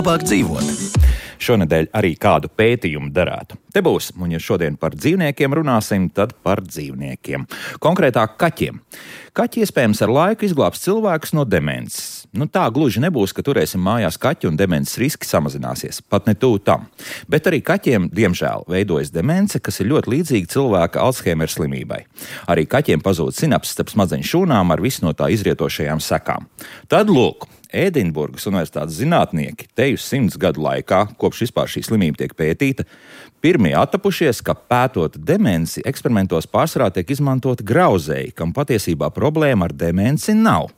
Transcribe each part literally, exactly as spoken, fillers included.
labāk dzīvot. Šonedēļ arī kādu pētījumu darētu. Te būs, un ja šodien par dzīvniekiem runāsim, tad par dzīvniekiem. Konkrētāk kaķiem. Kaķi iespējams ar laiku izglābs cilvēkus no demences. Nu tā gluži nebūs, ka turēsim mājās kaķi un demences riski samazināsies. Pat ne tuvu tam. Bet arī kaķiem, diemžēl, veidojas demence, kas ir ļoti līdzīga cilvēka Alzheimera slimībai. Arī kaķiem pazūd sinapses starp smadzeņu šūnām ar visu no tā izrietošajām sekām. Tad lūk, Ēdinburgas universitātes zinātnieki teju simts gadu laikā, kopš vispār šī slimība tiek pētīta, pirmie attapušies, ka pētot demenci, eksperimentos pārsvarā tiek izmantoti grauzēji, kam patiesībā problēma ar demenci nav.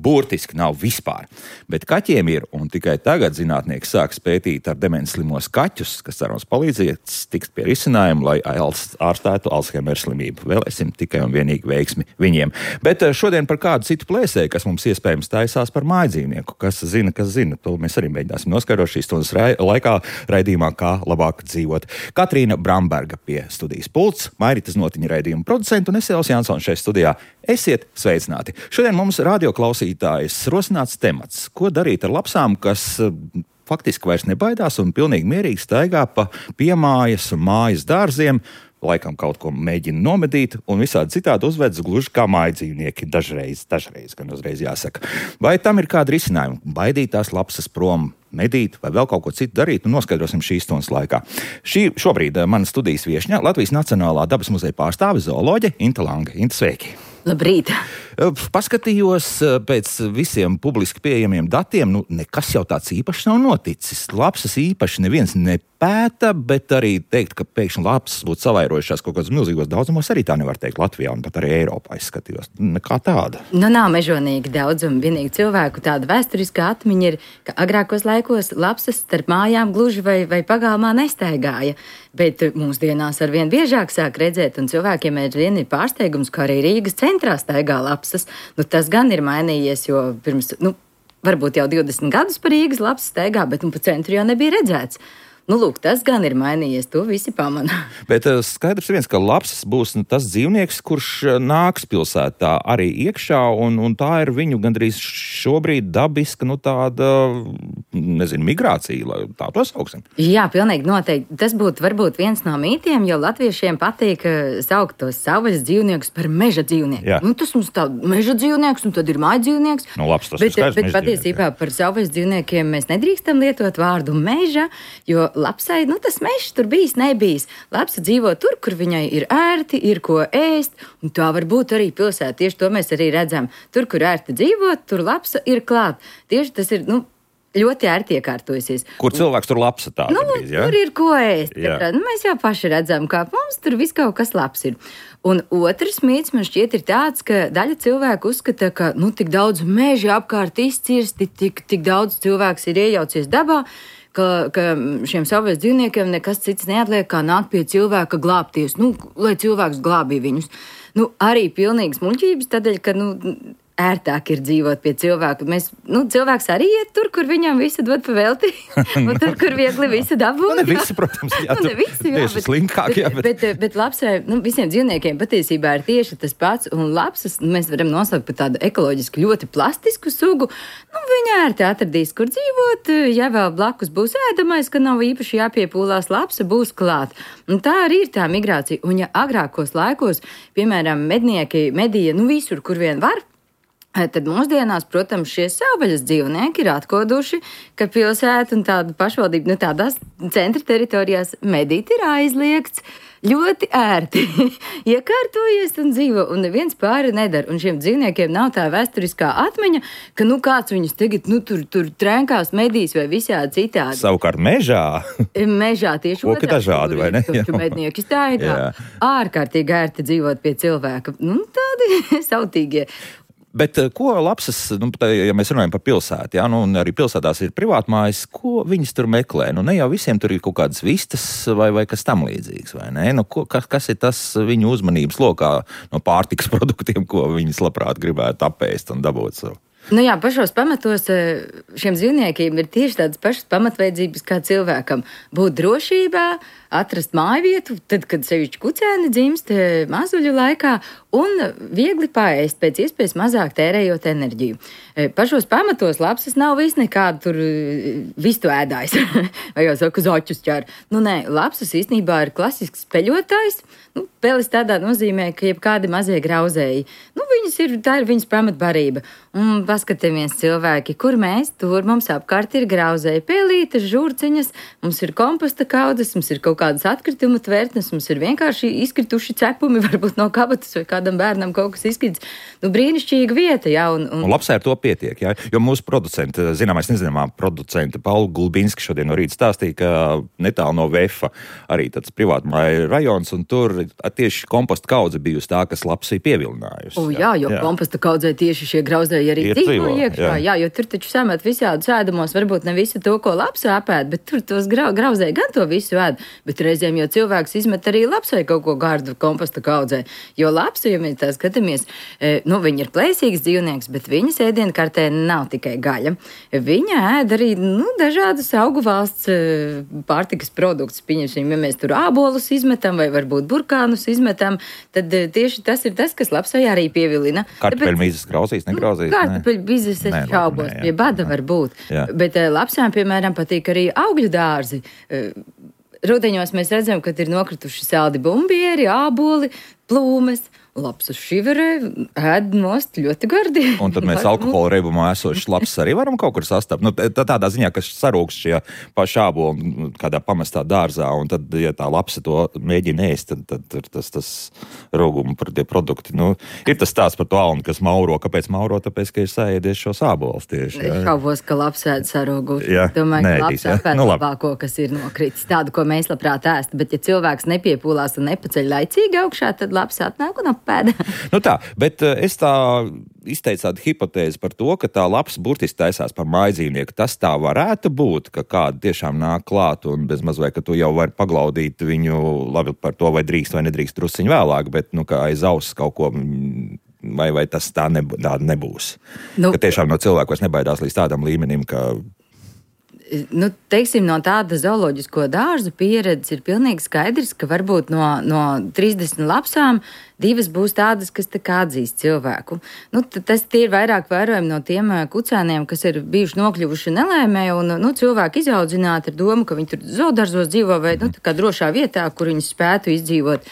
Burtiski nav vispār. Bet kaķiem ir, un tikai tagad zinātnieki sāks pētīt ar demenci slimos kaķus, kas cerams palīdzies tikt pie risinājuma, lai ārstētu Alzheimera slimību. Vēlēsim tikai un vienīgi veiksmi viņiem. Bet šodien par kādu citu plēsēju, kas mums iespējams taisās par mājdzīvnieku. Kas zina, kas zina. To mēs arī mēģināsim noskaidrot šīs stundas laikā raidījumā, kā labāk dzīvot. Katrīna Bramberga pie studijas pults, Mairitas Notiņa raidījuma producenta un es Elvis Jansons šeit studijā. Esiet sveicināti! Šodien mums radioklausītājs rosināts temats. Ko darīt ar lapsām, kas faktiski vairs nebaidās un pilnīgi mierīgi staigā pa piemājas un mājas dārziem, laikam kaut ko mēģina nomedīt un visādi citādi uzvedas gluži kā mājdzīvnieki dažreiz, dažreiz, gan uzreiz jāsaka. Vai tam ir kāda risinājuma? Baidīt tās lapsas prom, medīt vai vēl kaut ko citu darīt, un noskaidrosim šīs stundas laikā. Šī šobrīd mana studijas viešņa, Latvijas Nacionālā dabas muzeja pārstāve zooloģe Inta Lange. Inta, sveiki! Labrīt! Paskatījos pēc visiem publiski pieejamiem datiem, nu nekas jau tāds īpašs nav noticis. Lapsas īpaši neviens nepēta, bet arī teikt, ka pēkšņi lapsas būtu savairojušās kaut kādos milzīgos daudzumos, arī tā nevar teikt Latvijā un pat arī Eiropā izskatījos. Nekā tāda. Nu nav mežonīgi daudzumi, vienīgi cilvēku tāda vēsturiskā atmiņa ir, ka agrākos laikos lapsas starp mājām gluži vai, vai pagalmā nestaigāja, bet mūsdienās arvien biežāk sāk redzēt, un cilvēkiem aizvien ir pārsteigums, ka arī Rīgas centrā staigā lapsas. Nu, tas gan ir mainījies, jo pirms, nu, varbūt jau divdesmit gadus par Rīgas lapsas staigā, bet nu, pa centru jau nebija redzēts. Nu, lūk, tas gan ir mainījies, to visi pamana. Bet skaidrs viens, ka lapsas būs nu, tas dzīvnieks, kurš nāks pilsētā arī iekšā, un, un tā ir viņu gandrīz šobrīd dabiska, nu tāda, nezinu, migrācija, lai tā to sauksim. Jā, pilnīgi noteikti. Tas būtu varbūt viens no mītiem, jo latviešiem patīk saukt tos savvaļas dzīvniekus par meža dzīvnieku. Jā. Nu, tas mums tā meža dzīvnieks, un tad ir mājdzīvnieks. Nu, labs, tas bet, ir skaidrs, bet patiesībā par savvaļas dzīvniekiem mēs nedrīkstam lietot vārdu meža, jo lapsai, nu tas mežs tur bijis, nebijis. Lapsa dzīvo tur, kur viņai ir ērti, ir ko ēst, un tā var būt arī pilsētā. Tieši to mēs arī redzam. Tur, kur ērti dzīvot, tur lapsa ir klāt. Tieši tas ir, nu, ļoti ērti iekārtojusies. Kur cilvēks tur lapsa tā? Nu, gandrīz, ja? Tur ir ko ēst. Nu, mēs jau paši redzam, kā mums tur viss kaut kas labs ir. Un otrs mīts man šķiet ir tāds, ka daļa cilvēku uzskata, ka, nu, tik daudz meži apkārt izcirsti, tik, tik daudz cilvēks ir iejaucies dabā, Ka, ka šiem savvaļas dzīvniekiem nekas cits neatliek, kā nākt pie cilvēka glābties, nu, lai cilvēks glābīja viņus. Nu, arī pilnīgas muļķības, tādēļ, ka, nu, ērtāk ir dzīvot pie cilvēka. Mēs, nu, cilvēks arī iet tur, kur viņam visu dod pa velti, un tur, kur viegli visu dabū. Nu, ne visi, protams, jā, nu, ne visi, jā, tieši slinkāk, jā, bet... Bet, bet, bet lapsai, nu, visiem dzīvniekiem patiesībā ir tieši tas pats, un lapsas, nu, mēs varam nosaukt par tādu ekoloģiski ļoti plastisku sugu. Nu, viņa ērti atradīs, kur dzīvot, ja vēl blakus būs ēdamais, ka nav īpaši jāpiepūlās, lapsa būs klāt. Un tā arī ir tā migrācija. Un ja agrākos laikos, piemēram, mednieki medīja, nu, visur, kur vien var, tad mūsdienās, protams, šie savvaļas dzīvnieki ir atkoduši, ka pilsēta un tāda pašvaldība, nu tādās centra teritorijās medīt ir aizliegts. Ļoti ērti iekārtojies un dzīvo, un neviens pāri nedara. Un šiem dzīvniekiem nav tā vēsturiskā atmiņa, ka nu kāds viņus tagad nu, tur, tur trenkās, medīs vai visādi citādi. Savukārt mežā? Mežā tieši otrādi. Koki dažādi, vai ne? Tur mednieki staigā. Ārkārtīgi ērti dzīvot pie cilvēka. Nu, tādi sautīgie. Bet ko lapsas, nu, ja mēs runājam par pilsētu, jā, nu, un arī pilsētās ir privātmājas, ko viņas tur meklē? Nu, ne jau visiem tur ir kaut kādas vistas vai, vai kas tam līdzīgs, vai ne? Nu, ko, kas, kas ir tas viņu uzmanības lokā no pārtikas produktiem, ko viņas labprāt gribētu apēst un dabūt savu? Nu jā, pašos pamatos šiem dzīvniekiem ir tieši tādas pašas pamatvajadzības kā cilvēkam. Būt drošībā, atrast mājvietu, tad, kad sevišķi kucēni dzimst mazuļu laikā, un viegli paēst, pēc iespējas mazāk tērējot enerģiju. Pašos pamatos lapsas nav viss nekāda tur vistu ēdājs, vai jau saka, zaķus ķer. Nu nē, lapsas īstenībā ir klasisks peļotājs. Nu, pelis tādā nozīmē, ka jebkādi mazie grauzēji. Nu, viņas ir, tā ir viņas pamatbarība. Un paskatāmies cilvēki, kur mēs, tur mums apkārt ir grauzēji pelītes, žurciņas, mums ir komposta kaudzes, mums ir kaut kādas atkritumu tvertnes, mums ir vienkārši izkrituši cepumi, varbūt no kabatas vai kādam bērnam kaut kas izkrits. Nu, brīnišķīga vieta, jā. Un, un... un labsai ar to pietiek, jā. Jo mūsu producenti, zināmais nezināmā producenti Paula Gulbinski šodien no rīta stāstīja, ka netālu no Vefa arī tāds privātmāja rajons, un tur tieši komposta kaudze bijusi tā, kas lapsī pievilinājusi. O, jā, jo jā. Komposta kaudzē tieši šie grauzēji arī dzīvo iekšā, jā. jā, jo tur taču samet visādus ēdamos, varbūt ne visu to, ko lapsa apēd, bet tur tos grau, grauzēji gan to visu ēd, bet reizēm jau cilvēks izmet arī lapsai kaut ko gardu komposta kaudzē, jo lapsa, ja mēs tā skatāmies, nu, viņa ir plēsīgs dzīvnieks, bet viņas ēdienkartē nav tikai gaļa. Viņa ēd arī, nu, dažādas augu valsts pārtikas produktus, pieņemsim, ja mēs tur ābolus izmetam vai varbūt burkānus izmetam, tad tieši tas ir tas, kas lapsai arī pievilina. Kartupeļmīzes grauzīs, negrauzīs? Nu, kartupeļmīzes es šaubos, pie bada var būt. Jā. Bet lapsām, piemēram, patīk arī augļu dārzi. Rudeņos mēs redzam, ka ir nokrituši saldi bumbieri, āboli, plūmes. Lapsas šiverē, ēd nost ļoti gardi. Un tad mēs alkohola reibumā esošas lapsas arī varam kaut kur sastapt. Nu, tādā ziņā, ka sarūkst šie paši āboli kādā pamestā dārzā, un tad, ja tā lapsa to mēģina ēst, tad, tad, tad tas, tas rūguma par tie produkti. Nu, ir tas stāsts par to alnu, kas mauro. Kāpēc mauro? Tāpēc, ka ir sāēdies šos ābolus tieši. Es šaubos, ka lapsa ēd sarūguši. Jā, domāju, ka neēdīs, lapsa ēd nu, labāko, kas ir nokritis. Tādu, ko mēs labprāt ēst. Bet ja cilvēks nepiepūlās un nepaceļ laicīgi augšā, tad lapsa atnāk un apēda. Nu tā, bet es tā izteicu tādu hipotēzi par to, ka tā lapsa burtiski taisās par mājdzīvnieku. Tas tā varētu būt, ka kāda tiešām nāk klāt un bez maz vai, ka tu jau vari paglaudīt viņu labi par to, vai drīkst vai nedrīkst drusciņu vēlāk, bet nu kā aiz auss kaut ko... Vai, vai tas tā, neb, tā nebūs? Nu, ka tiešām no cilvēku vairs nebaidās līdz tādam līmenim, ka... Nu, teiksim, no tāda zooloģisko dārzu pieredzes ir pilnīgi skaidrs, ka varbūt no, no trīsdesmit lapsām divas būs tādas, kas tā kā atzīst cilvēku. Nu, tas tie ir vairāk vērojami no tiem kucēniem, kas ir bijuši nokļuvuši nelēmē un nu, cilvēki izaudzināti ar domu, ka viņi tur zoodarzos dzīvo vai nu, tā kā drošā vietā, kur viņi spētu izdzīvot.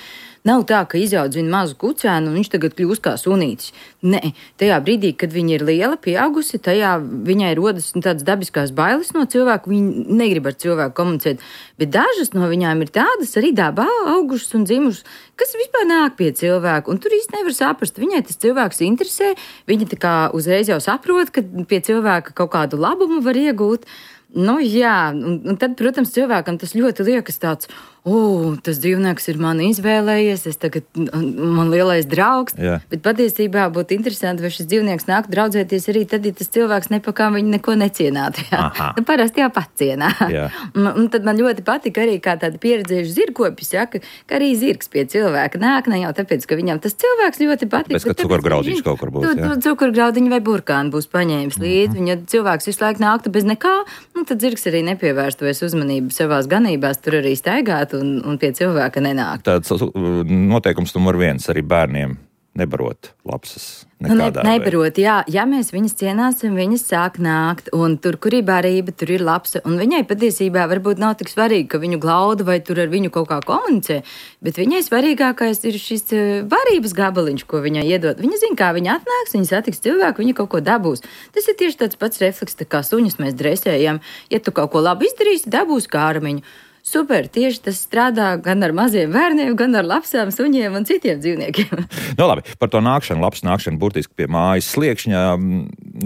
Nav tā, ka izaudzina mazu kucēnu un viņš tagad kļūst kā sunītis. Nē, tajā brīdī, kad viņa ir liela, pieaugusi, tajā viņai rodas tādas dabiskās bailes no cilvēku, viņa negrib ar cilvēku komunicēt. Bet dažas no viņām ir tādas arī dabā augušas un dzimušas, kas vispār nāk pie cilvēku. Un tur īsti nevar saprast, viņai tas cilvēks interesē, viņa tā kā uzreiz jau saprot, ka pie cilvēka kaut kādu labumu var iegūt. Nu jā, un, un tad, protams, cilvēkam tas ļoti liekas tāds, o, tas dzīvnieks ir mani izvēlējies, es tagad, man lielais draugs, jā. Bet patiesībā būtu interesanti, vai šis dzīvnieks nāk draudzēties arī tad, ja tas cilvēks nepakām viņu neko necienātu, jā. Nu, parasti jau pat cienā. Un, un tad man ļoti patika arī kā tāda pieredzējuši zirgkopis, jā, ka, ka arī zirgs pie cilvēka nāk, ne jau tāpēc, ka viņam tas cilvēks ļoti patika. Tāpēc, ka cukurgraudiņš kaut kur būs, jā. Cukurgraudiņu vai burkānu būs paņēmis līdzi, mm-hmm. Viņa cilvēks visu laiku nāktu bez nekā, nu, tad zirgs arī nepievērstu vairs uzmanību savās ganībās, tur arī staigāt un, un pie cilvēka nenāk. Tāds noteikums numur viens arī bērniem nebarot lapsas nekādā ne, nebarot, jā. Ja mēs viņas cienāsim, viņas sāk nākt, un tur, kur ir barība, tur ir lapsa, un viņai patiesībā varbūt nav tik svarīgi, ka viņu glauda vai tur ar viņu kaut kā komunicē, bet viņai svarīgākais ir šis barības gabaliņš, ko viņai iedod. Viņa zina, kā viņa atnāks, viņa satiks cilvēku, viņa kaut ko dabūs. Tas ir tieši tāds pats refleks, tā kā suņus mēs dresējam. Ja tu kaut ko labi izdarīsi, dabūs kārmiņu. Super, tieši tas strādā gan ar maziem bērniem, gan ar lapsām, suņiem un citiem dzīvniekiem. Nu labi, par to nākšanu, labs nākšanu burtiski pie mājas sliekšņa,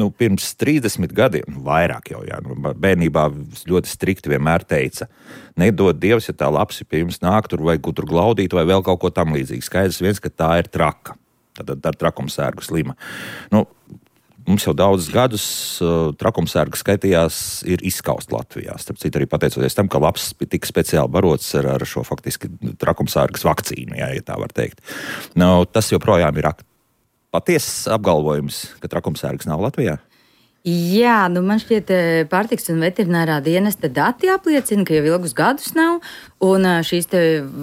nu pirms trīsdesmit gadiem, vairāk jau, jā, nu, bērnībā ļoti strikti vienmēr teica, nedod Dievs, ja tā lapsi pie jums nāk, tur vai tur glaudīt vai vēl kaut ko tam līdzīgi. Skaidrs viens, ka tā ir traka, tad ar trakumsērgu slima. Nu, mums jau daudzus gadus uh, trakumsērga skaitījās ir izskaust Latvijā. Starp citu arī pateicoties tam, ka labs tika speciāli barots ar, ar šo faktiski trakumsērgas vakcīnu, jā, ja tā var teikt. Nu, tas joprojām ir patiesas apgalvojums, ka trakumsērgas nav Latvijā. Jā, nu man šķiet, pārtiks un veterinārā dienesta dati apliecina, ka jau ilgus gadus nav, un šīs te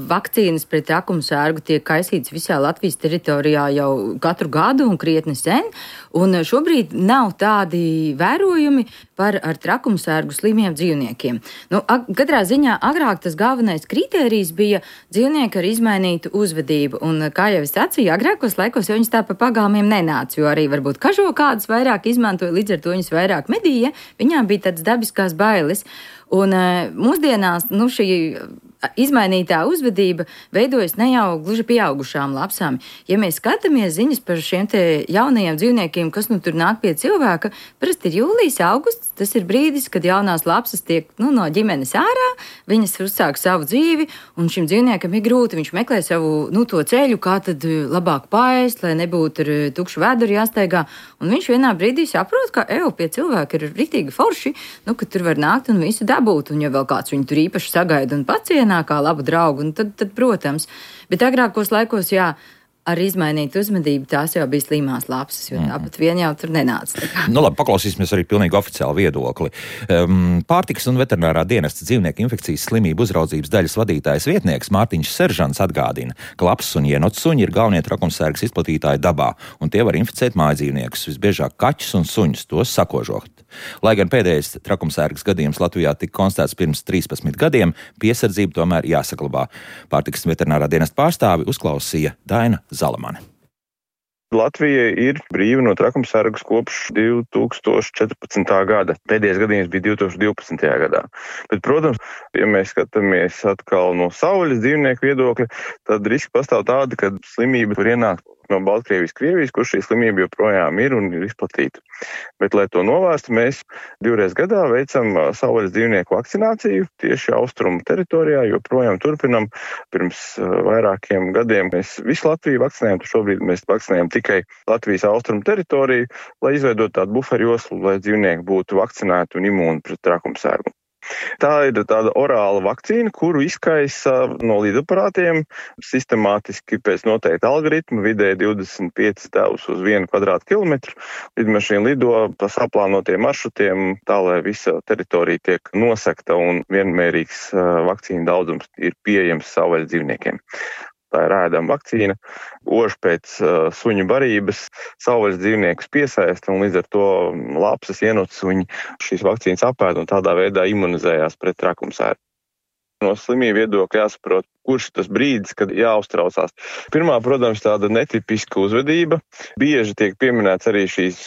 vakcīnas pret trakumsērgu tiek kaisītas visā Latvijas teritorijā jau katru gadu un krietni sen, un šobrīd nav tādi vērojumi par ar trakumsērgu slimiem dzīvniekiem. Nu, katrā ziņā agrāk tas galvenais kritērijs bija dzīvnieki ar izmainītu uzvedību, un kā jau es sacīju, agrākos laikos jau viņas tā pa pagalmiem nenāca, jo arī varbūt kažo kādus vairāk izmantoja, līdz ar to viņas vairāk medīja, viņām bija tādas dabiskās bailes. Un mūsdienās nu, šī izmainītā uzvedība veidojas ne jau gluži pieaugušām lapsām. Ja mēs skatāmies ziņas par šiem te jaunajiem dzīvniekiem, kas nu tur nāk pie cilvēka, parasti ir jūlijas, augusts, tas ir brīdis, kad jaunās lapsas tiek nu, no ģimenes ārā, viņas uzsāk savu dzīvi, un šim dzīvniekam ir grūti, viņš meklē savu nu, to ceļu, kā tad labāk paēst, lai nebūtu ar tukšu vēduru jāsteigā, un viņš vienā brīdī saprot, ka eju pie cilvēka ir ritīgi forši, nu, ka tur var nākt un visu dabūt, un ja vēl kāds viņu tur īpaši sagaida un pacienā kā labu draugu, un tad, tad, protams. Bet agrākos laikos, jā, ar izmainītu uzvedību tās jau bija slimās lapsas, jo tāpat vien jau tur nenāca. Nu labi, paklausīsimies arī pilnīgi oficiālu viedokli. Um, pārtikas un veterinārā dienesta dzīvnieku infekcijas slimību uzraudzības daļas vadītājs vietnieks Mārtiņš Seržants atgādina, ka lapsas un ienots suņi ir galvenie trakumsērgas izplatītāji dabā, un tie var inficēt mājdzīvniekus, visbiežāk kaķus un suņus, tos sakožot. Lai gan pēdējais trakumsērgas gadījums Latvijā tika konstatēts pirms trīspadsmit gadiem, piesardzība tomēr jāsaglabā. Pārtikas un veterinārā dienesta pārstāvi uzklausīja Daina Zalamane. Latvija ir brīva no trakumsērgas kopš divi tūkstoši četrpadsmitā gada. Pēdējais gadījums bija divi tūkstoši divpadsmitajā gadā. Bet, protams, ja mēs skatāmies atkal no savvaļas dzīvnieku viedokļa, tad riski pastāv tādi, ka slimība var ienākt no Baltkrievijas, Krievijas, kur šī slimība joprojām ir un ir izplatīta. Bet, lai to novērstu, mēs divreiz gadā veicam savvaļas dzīvnieku vakcināciju tieši austrumu teritorijā, joprojām turpinam. Pirms vairākiem gadiem mēs visu Latviju vakcinējam, tad šobrīd mēs vakcinējam tikai Latvijas austrumu teritoriju, lai izveidotu tādu buferu joslu, lai dzīvnieki būtu vakcinēti un imūni pret trakumsērgu. Tā ir tāda orāla vakcīna, kuru izkaisa no līdaparātiem sistemātiski pēc noteikta algoritma, vidēji divdesmit pieci devus uz vienu kvadrātkilometru. Lidmašīna lido pa saplānotiem maršrutiem, tā lai visa teritorija tiek nosekta un vienmērīgs vakcīna daudzums ir pieejams savvaļas dzīvniekiem. Tā ir ēdama vakcīna, ož pēc uh, suņu barības, savvaļas dzīvniekus piesaista un līdz ar to lapsas ienots suņi šīs vakcīnas apēd un tādā veidā imunizējās pret trakumsērgu. No slimību viedokļa jāsaprot, kurš tas brīdis, kad jāuztraucās. Pirmā, protams, tāda netipiska uzvedība. Bieži tiek pieminēts arī šīs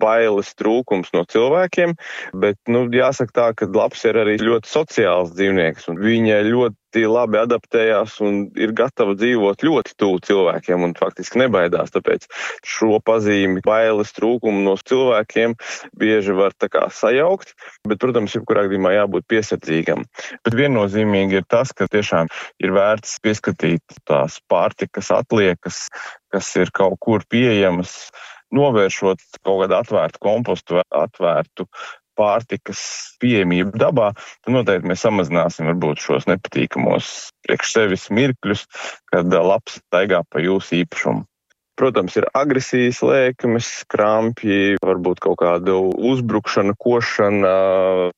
bailes trūkums no cilvēkiem, bet, nu, jāsaka tā, ka laps ir arī ļoti sociāls dzīvnieks un viņa ļoti labi adaptējās un ir gatava dzīvot ļoti tuvu cilvēkiem un faktiski nebaidās, tāpēc šo pazīmi bailes trūkumu no cilvēkiem bieži var tā kā sajaukt, bet, protams, jebkurā gadījumā jābūt piesardzīgam. Bet viennozīmīgi ir tas, ka tiešām ir vērts pieskatīt tās pārtikas atliekas, kas ir kaut kur pieejamas, novēršot kaut kādu atvērtu kompostu, atvērtu pārtikas pieejamību dabā, tad noteikti mēs samazināsim varbūt šos nepatīkamos priekš sevis mirkļus, kad laps staigā pa jūsu īpašumu. Protams, ir agresijas lēkmes, krampji, varbūt kaut kāda uzbrukšana, košana,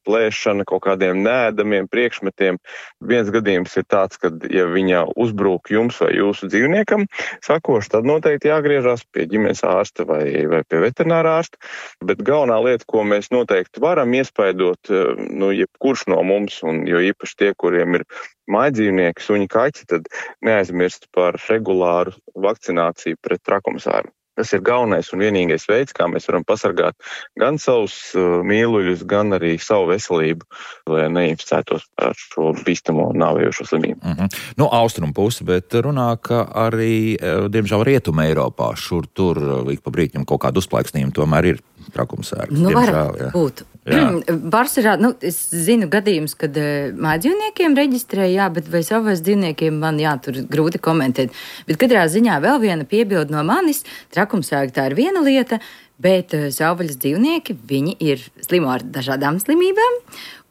plēšana, kaut kādiem nēdamiem priekšmetiem. Viens gadījums ir tāds, ka, ja viņa uzbrūk jums vai jūsu dzīvniekam, sakoši, tad noteikti jāgriežas pie ģimenes ārsta vai, vai pie veterinārā ārsta. Bet galvenā lieta, ko mēs noteikti varam iespaidot, nu, jebkurš no mums, un jo īpaši tie, kuriem ir mājdzīvnieki, suņi, kaķi, tad neaizmirst par regulāru vakcināciju pret trakumsērgu. Tas ir galvenais un vienīgais veids, kā mēs varam pasargāt gan savus uh, mīluļus, gan arī savu veselību, lai neinficētos ar šo bīstamo nāvējošo slimību. Mm-hmm. Nu, austrumu puse, bet runā, ka arī, diemžēl, rietuma Eiropā šur tur ik pa brīķim kaut kādu uzplaiksnījumu tomēr ir trakumsērgs. Nu, var būt. Pārsvarā, nu, es zinu gadījums, kad uh, mājdzīvniekiem reģistrē, jā, bet vai savas dzīvniekiem man, jā, tur grūti komentēt. Bet katrā ziņā vēl viena piebilde no manis, trakumsērga tā ir viena lieta, Bet savvaļas dzīvnieki, viņi ir slimo ar dažādām slimībām,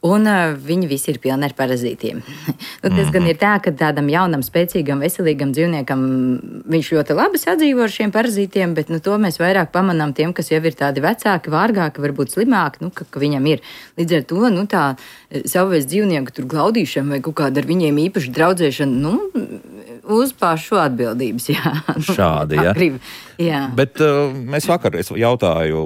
un uh, viņi visi ir pilni ar parazītiem. nu, tas mm-hmm. gan ir tā, ka tādam jaunam, spēcīgam, veselīgam dzīvniekam viņš ļoti labi sadzīvo ar šiem parazītiem, bet nu, to mēs vairāk pamanām tiem, kas jau ir tādi vecāki, vārgāki, varbūt slimāki, nu, ka, ka viņam ir. Līdz ar to nu, tā savvaļas dzīvnieku tur glaudīšana vai kaut kāda ar viņiem īpaši draudzēšana, nu, uz pašu atbildības, jā. Šādi, jā. Grib, jā. Bet uh, mēs vakar, es jautāju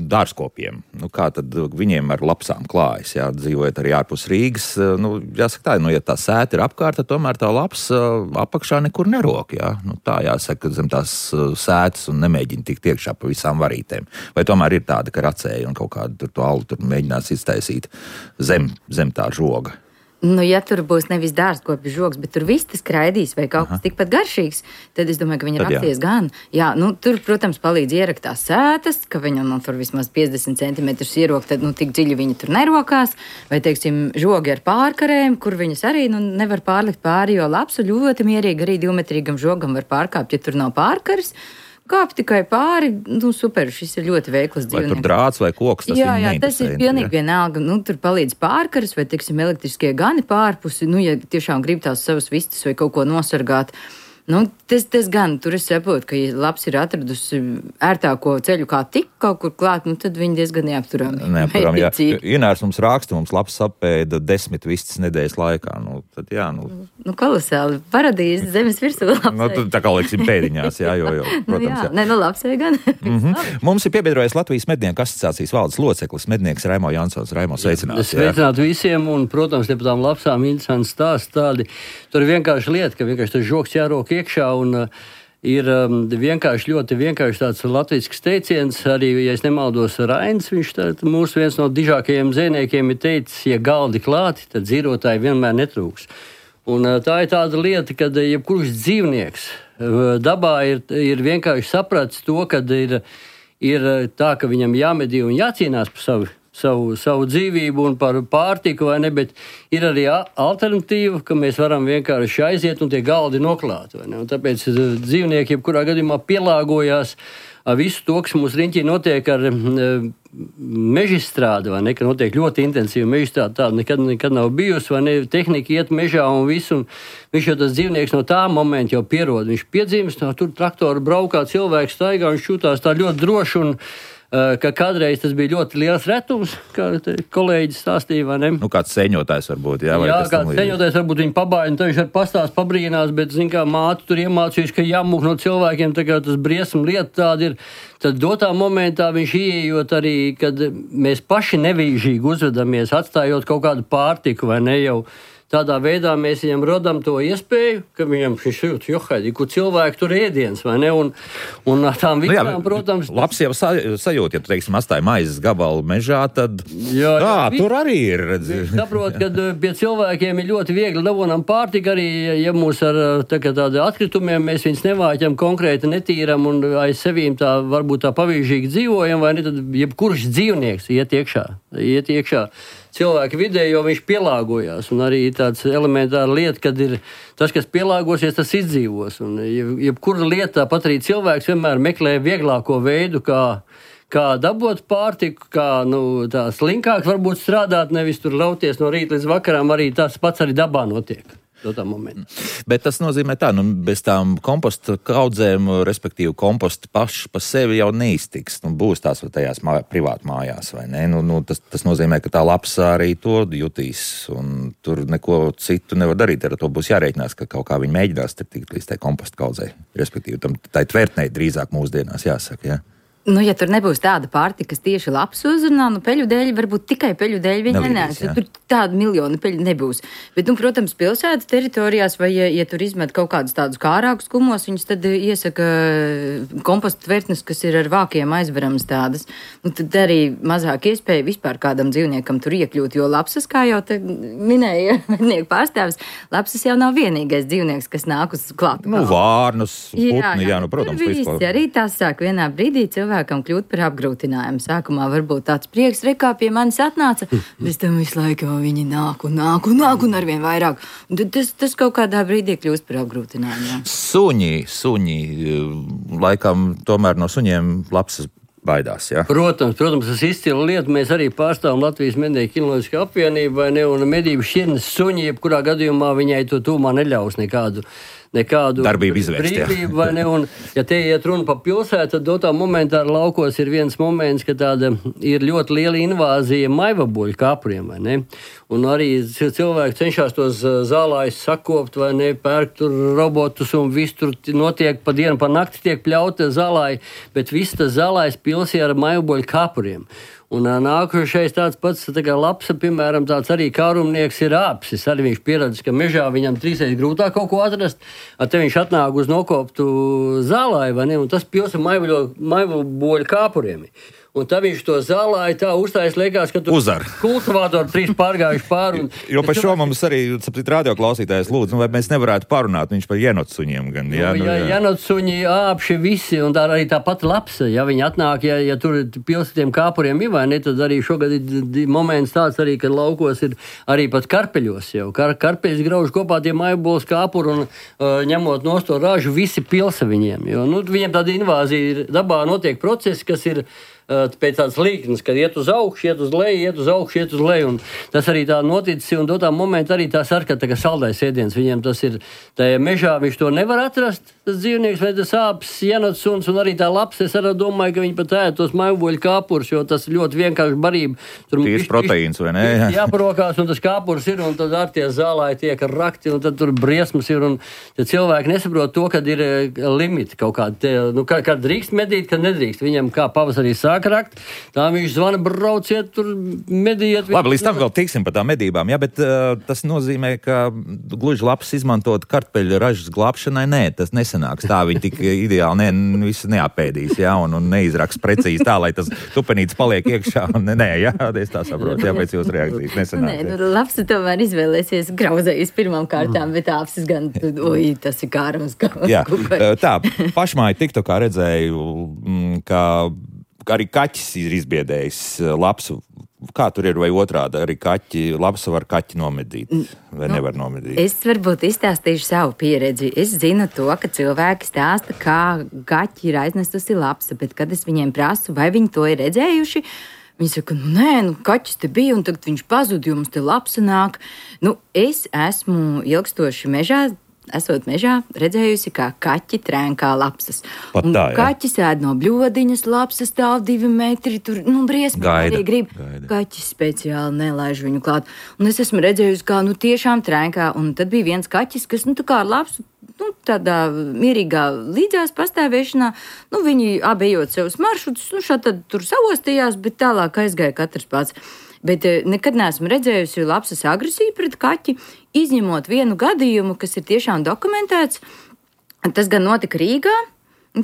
dārzkopiem, nu kā tad viņiem ar lapsām klājas, jā, dzīvojot arī ārpus Rīgas, nu, jāsaka tā, nu, ja tā sēta ir apkārt, tad tomēr tā laps uh, apakšā nekur nerok, jā. Nu, tā jāsaka, zem tās uh, sētas un nemēģina tikt iekšā pa visām varītēm. Vai tomēr ir tāda, ka racēja un kaut kādu tur to alu tur mēģinās iztaisīt zem, zem tā žoga? Nu, ja tur būs nevis dārzkopju žogs, bet tur viss tas kraidīs vai kaut kas tikpat garšīgs, tad es domāju, ka viņi racies gan. Jā, nu, tur, protams, palīdz ierakt tās sētas, ka viņam nu, tur vismaz piecdesmit centimetrus ierok, tad nu, tik dziļi viņi tur nerokās. Vai, teiksim, žogi ar pārkarēm, kur viņas arī nu, nevar pārlikt pāri, jo lapsu ļoti mierīgi arī divmetrīgam žogam var pārkāpt, ja tur nav pārkaras. Kāp tikai pāri, nu super, šis ir ļoti veikls dzīvnieks. Vai tur drāts vai koks, tas jā, jā, tas ir pilnīgi vienalga. Nu, tur palīdz pārkaras vai, teiksim, elektriskie gani pārpusi, nu, ja tiešām grib tās savas vistas vai kaut ko nosargāt. Nu, tas, tas gan, tur es saprotu, ka, ja labs ir atradusi ērtāko ceļu kā tik kaut kur klāt, nu, tad viņi diezgan neapturami. Neapturami, jā. Inārs mums raksta, mums labs apēda desmit vistas nedēļas laikā. Nu, tad jā, nu. Nu, kolosāli. Paradīze zemes virsū labsai. Nu, tā kā lieksim pēdiņās, jā, jo, jo, protams, nu, jā. jā. Ne, nu, labsai gan. mm-hmm. Mums ir piebiedrojies Latvijas mednieku asociācijas valdes loceklis, mednieks Raimo Jansons. Raimo, sveicināts. Sveicināt visiem, un, protams, ja par tām lapsām interesants stāsts tādi. Tur ir vienkārši lieta, ka vienkārši tas žogs jārok iekšā, un uh, ir um, vienkārši ļoti vienkārši tāds latvisks teiciens, arī, ja es nemaldos, Rains, viņš tā, mūsu viens no dižākajiem zvejniekiem ir teicis, ja galdi klāti, tad dzīrotāji vienmēr netrūks. Un uh, tā ir tāda lieta, kad jebkurš dzīvnieks uh, dabā ir, ir vienkārši sapratis to, kad ir, ir tā, ka viņam jāmedī un jācīnās par savu Savu, savu dzīvību un par pārtiku, vai ne, bet ir arī alternatīva, ka mēs varam vienkārši aiziet un tie galdi noklāt, vai ne, un tāpēc dzīvnieki jebkurā gadījumā pielāgojās visu to, kas mums riņķī notiek ar mežstrādi, vai ne, ka notiek ļoti intensīva mežstrāde, tāda nekad, nekad nav bijusi, vai ne, tehnika iet mežā un visu, un viņš jau tas dzīvnieks no tā momenta jau pierod, viņš piedzimst, no tur traktoru braukā, cilvēks staigā, viņš šūtās tā ļoti droši un ka kādreiz tas bija ļoti liels retums, kā kolēģis stāstīja, vai ne? Nu, kāds seņotājs varbūt, jā? Vai jā, kāds seņotājs varbūt viņu pabāja, un tad viņš ar pastāst pabrīnās, bet, zin kā, māte tur iemācījis, ka jāmūk no cilvēkiem, tā kā tas briesmu lieta tāda ir, tad dotā momentā viņš ieejot arī, kad mēs paši nevīžīgi uzvedamies, atstājot kaut kādu pārtiku, vai ne jau. Tādā veidā mēs viņam rodam to iespēju, ka viņam šis jūt, johaidī, kur cilvēki tur ēdienas, vai ne? Un, un tām visām, nu jā, protams... Labs jau sa, sajūt, ja tu, teiksim, astāja maizes gabalu mežā, tad... Jā, jā, jā tur arī ir, redzi. Saprot, ka pie cilvēkiem ir ļoti viegli dabonam pārtika arī, ja mūs ar tā, tādi atkritumiem mēs viņus nevāķam konkrēti netīram un aiz sevīm tā varbūt tā pavīžīgi dzīvojam, vai ne, tad jebkurš dzīvnieks iet iekšā, iet iekšā. Cilvēki vidē, jo viņš pielāgojās, un arī tāds elementāra lieta, kad ir tas, kas pielāgosies, tas izdzīvos, un jebkura lieta, pat arī cilvēks vienmēr meklē vieglāko veidu, kā, kā dabūt pārtiku, kā, nu, tā slinkāk varbūt strādāt, nevis tur lauties no rīta līdz vakaram, arī tas pats arī dabā notiek. Bet tas nozīmē tā, nu, bez tām komposta kaudzēm, respektīvi komposta paši pa sevi jau neiztiks. Nu, būs tās tajās mā, privāti mājās, vai ne? Nu, nu, tas, tas nozīmē, ka tā lapsa arī to jutīs, un tur neko citu nevar darīt. Ar to būs jārēķinās, ka kaut kā viņi mēģinās tikt līdz tai komposta kaudzei. Respektīvi, tam tai tvertnei drīzāk mūsdienās jāsaka, jā. Nu, ja tur nebūs tāda pārtika, kas tieši labs uzrunā, nu, peļu dēļ, varbūt tikai peļu dēļ viņi nenēs. Tur tāda miljona peļu nebūs. Bet, nu, protams, pilsētas teritorijās, vai, ja, ja tur izmet kaut kādus tādus kārākus kumos, viņus tad iesaka komposta tvertnes, kas ir ar vākiem aizveramas tādas. Nu, tad arī mazāk iespēja vispār kādam dzīvniekam tur iekļūt, jo lapsas, kā jau te minēja mednieku pārstāvis, lapsas jau nav vienīgais dzīvnieks, kas nāk uz klātu. Nu, vārnus, putni, jā, jā, jā, nu, protams. Visi arī tās sāk vienā brīdī cilvēki kļūt par apgrūtinājumu. Sākumā varbūt tāds prieks, rekā pie manis atnāca, bez tam visu laiku viņi nāk un nāk un nāk un arvien vairāk. Un tas, tas kaut kādā brīdī kļūst par apgrūtinājumu. Jā. Suņi, suņi, laikam tomēr no suņiem labs baidās, jā? Protams, protams, tas izcila lieta. Mēs arī pārstāvam Latvijas mednieku kinoloģisko apvienību, vai ne, un medību šķirnes suņi, jebkurā gadījumā viņai to tūmā neļaus nekādu. nekādu darbību izvērst, brīvību, vai ne, un ja te iet runa pa pilsētu, tad dotā momentā ar laukos ir viens moments, ka tāda ir ļoti liela invāzija maivaboļu kāpuriem, vai ne, un arī cilvēki cenšas tos zālājus sakopt, vai ne, pērk tur robotus un viss tur notiek pa dienu, pa nakti tiek pļauta zālāji, bet viss tas zālājs pilsī ar maivaboļu kāpuriem. Un nākošais tāds pats, tā kā lapsa, piemēram, tāds arī kārumnieks ir āpsis. Arī viņš pieradis, ka mežā viņam trīsreiz grūtāk kaut ko atrast, ar te viņš atnāk uz nokoptu zālāju, vai ne, un tas pils ar maivaboļu kāpuriem. Un tā viņš to zālāja tā uzstājas, liekas, ka tur kultivātori trīs pārgājuši pāri. Un, jo par šo mums arī, saprat, radioklausītājs lūdzu, nu, vai mēs nevarētu parunāt viņš par jenotsuņiem gan, jā? Nu, nu, jā, jenotsuņi āpši visi, un tā arī tā pati lapsa, ja viņi atnāk, ja, ja tur pilsētiem kāpuriem ir, vai ne, tad arī šogad ir moments tāds arī, kad laukos ir arī pat karpeļos jau. Kar, karpeļus grauž kopā tie maibols kāpuri un uh, ņemot nost to ražu, visi pilsa viņiem, jo, nu, viņiem tāda invāzija ir, dabā notiek procesi, kas ir pēc tādas līknes, kad iet uz augšu, iet uz leju, iet uz augšu, iet uz leju, un tas arī tā noticis, un dotā momentā arī tā sarka, tā kā saldais ēdiens, viņiem tas ir, tajā mežā viņš to nevar atrast, tas dzīvnieks, vai tas āpis, jenotsuns, un arī tā laps, es arī domāju, ka viņi pat ēd tos maivaboļu kāpurus, jo tas ļoti vienkārši barība. Tīrs proteīns, vai ne? Jāparokās, un tas kāpurs ir, un tad ar tie zālāji tiek rakti, un tad tur briesmas ir, un tad cilvēki nesaprot to, kad ir limiti kaut kādi, tie, nu, kad, kad drīkst medīt, kad nedrīkst, viņam kā pavasarī sāk rakt, tā viņš zvana, brauciet, tur mediet. Labi, līdz tam vēl tiksim par tām medībām, jā, bet uh, tas nozīmē, ka gluži labs izmantot kartpeļu ražas glābšanai, nē, tas nesanāks tā, viņi tik ideāli ne, visu neapēdīs, jā, un, un neizraks precīzi tā, lai tas tupenīts paliek iekšā, un nē, jā, es tā saprotu, jā, pēc jūsu reakcijas nesanāks. Nē, nu, labs tomēr izvēlēsies grauzējus pirmām kārtām, bet apsis gan, oi, tas ir kārums. Jā, tā, pašmāji tikto, kā redzēju, ka arī kaķis ir izbiedējis lapsu. Kā tur ir, vai otrādi, arī kaķi, lapsa var kaķi nomedīt, vai nu, nevar nomedīt? Es varbūt izstāstīšu savu pieredzi. Es zinu to, ka cilvēki stāsta, kā kaķi ir aiznestusi lapsa, bet kad es viņiem prasu, vai viņi to ir redzējuši, viņi saka, nu nē, nu kaķis te bija, un tagad viņš pazud, jo mums te lapsa nāk. Nu, es esmu ilgstoši mežā, esot mežā, redzējusi, kā kaķi trēnkā lapsas. Pat tā, jā. Kaķis ēd no bļodiņas, lapsas stāv divi metri, tur, nu, briesmīgi arī grib. Gaida. Kaķis speciāli nelaiž viņu klāt. Un es esmu redzējusi, kā, nu, tiešām trēnkā, un tad bija viens kaķis, kas, nu, tā kā ar lapsu, nu, tādā mierīgā līdzās pastāvēšanā, nu, viņi abi ejot savus maršrutus, nu, šā tad tur savostījās, bet tālāk aizgāja katrs pats. Bet nekad neesmu redzējusi lapsas agresiju pret kaķi, izņemot vienu gadījumu, kas ir tiešām dokumentēts. Tas gan notika Rīgā,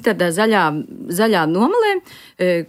tādā zaļā, zaļā nomalē,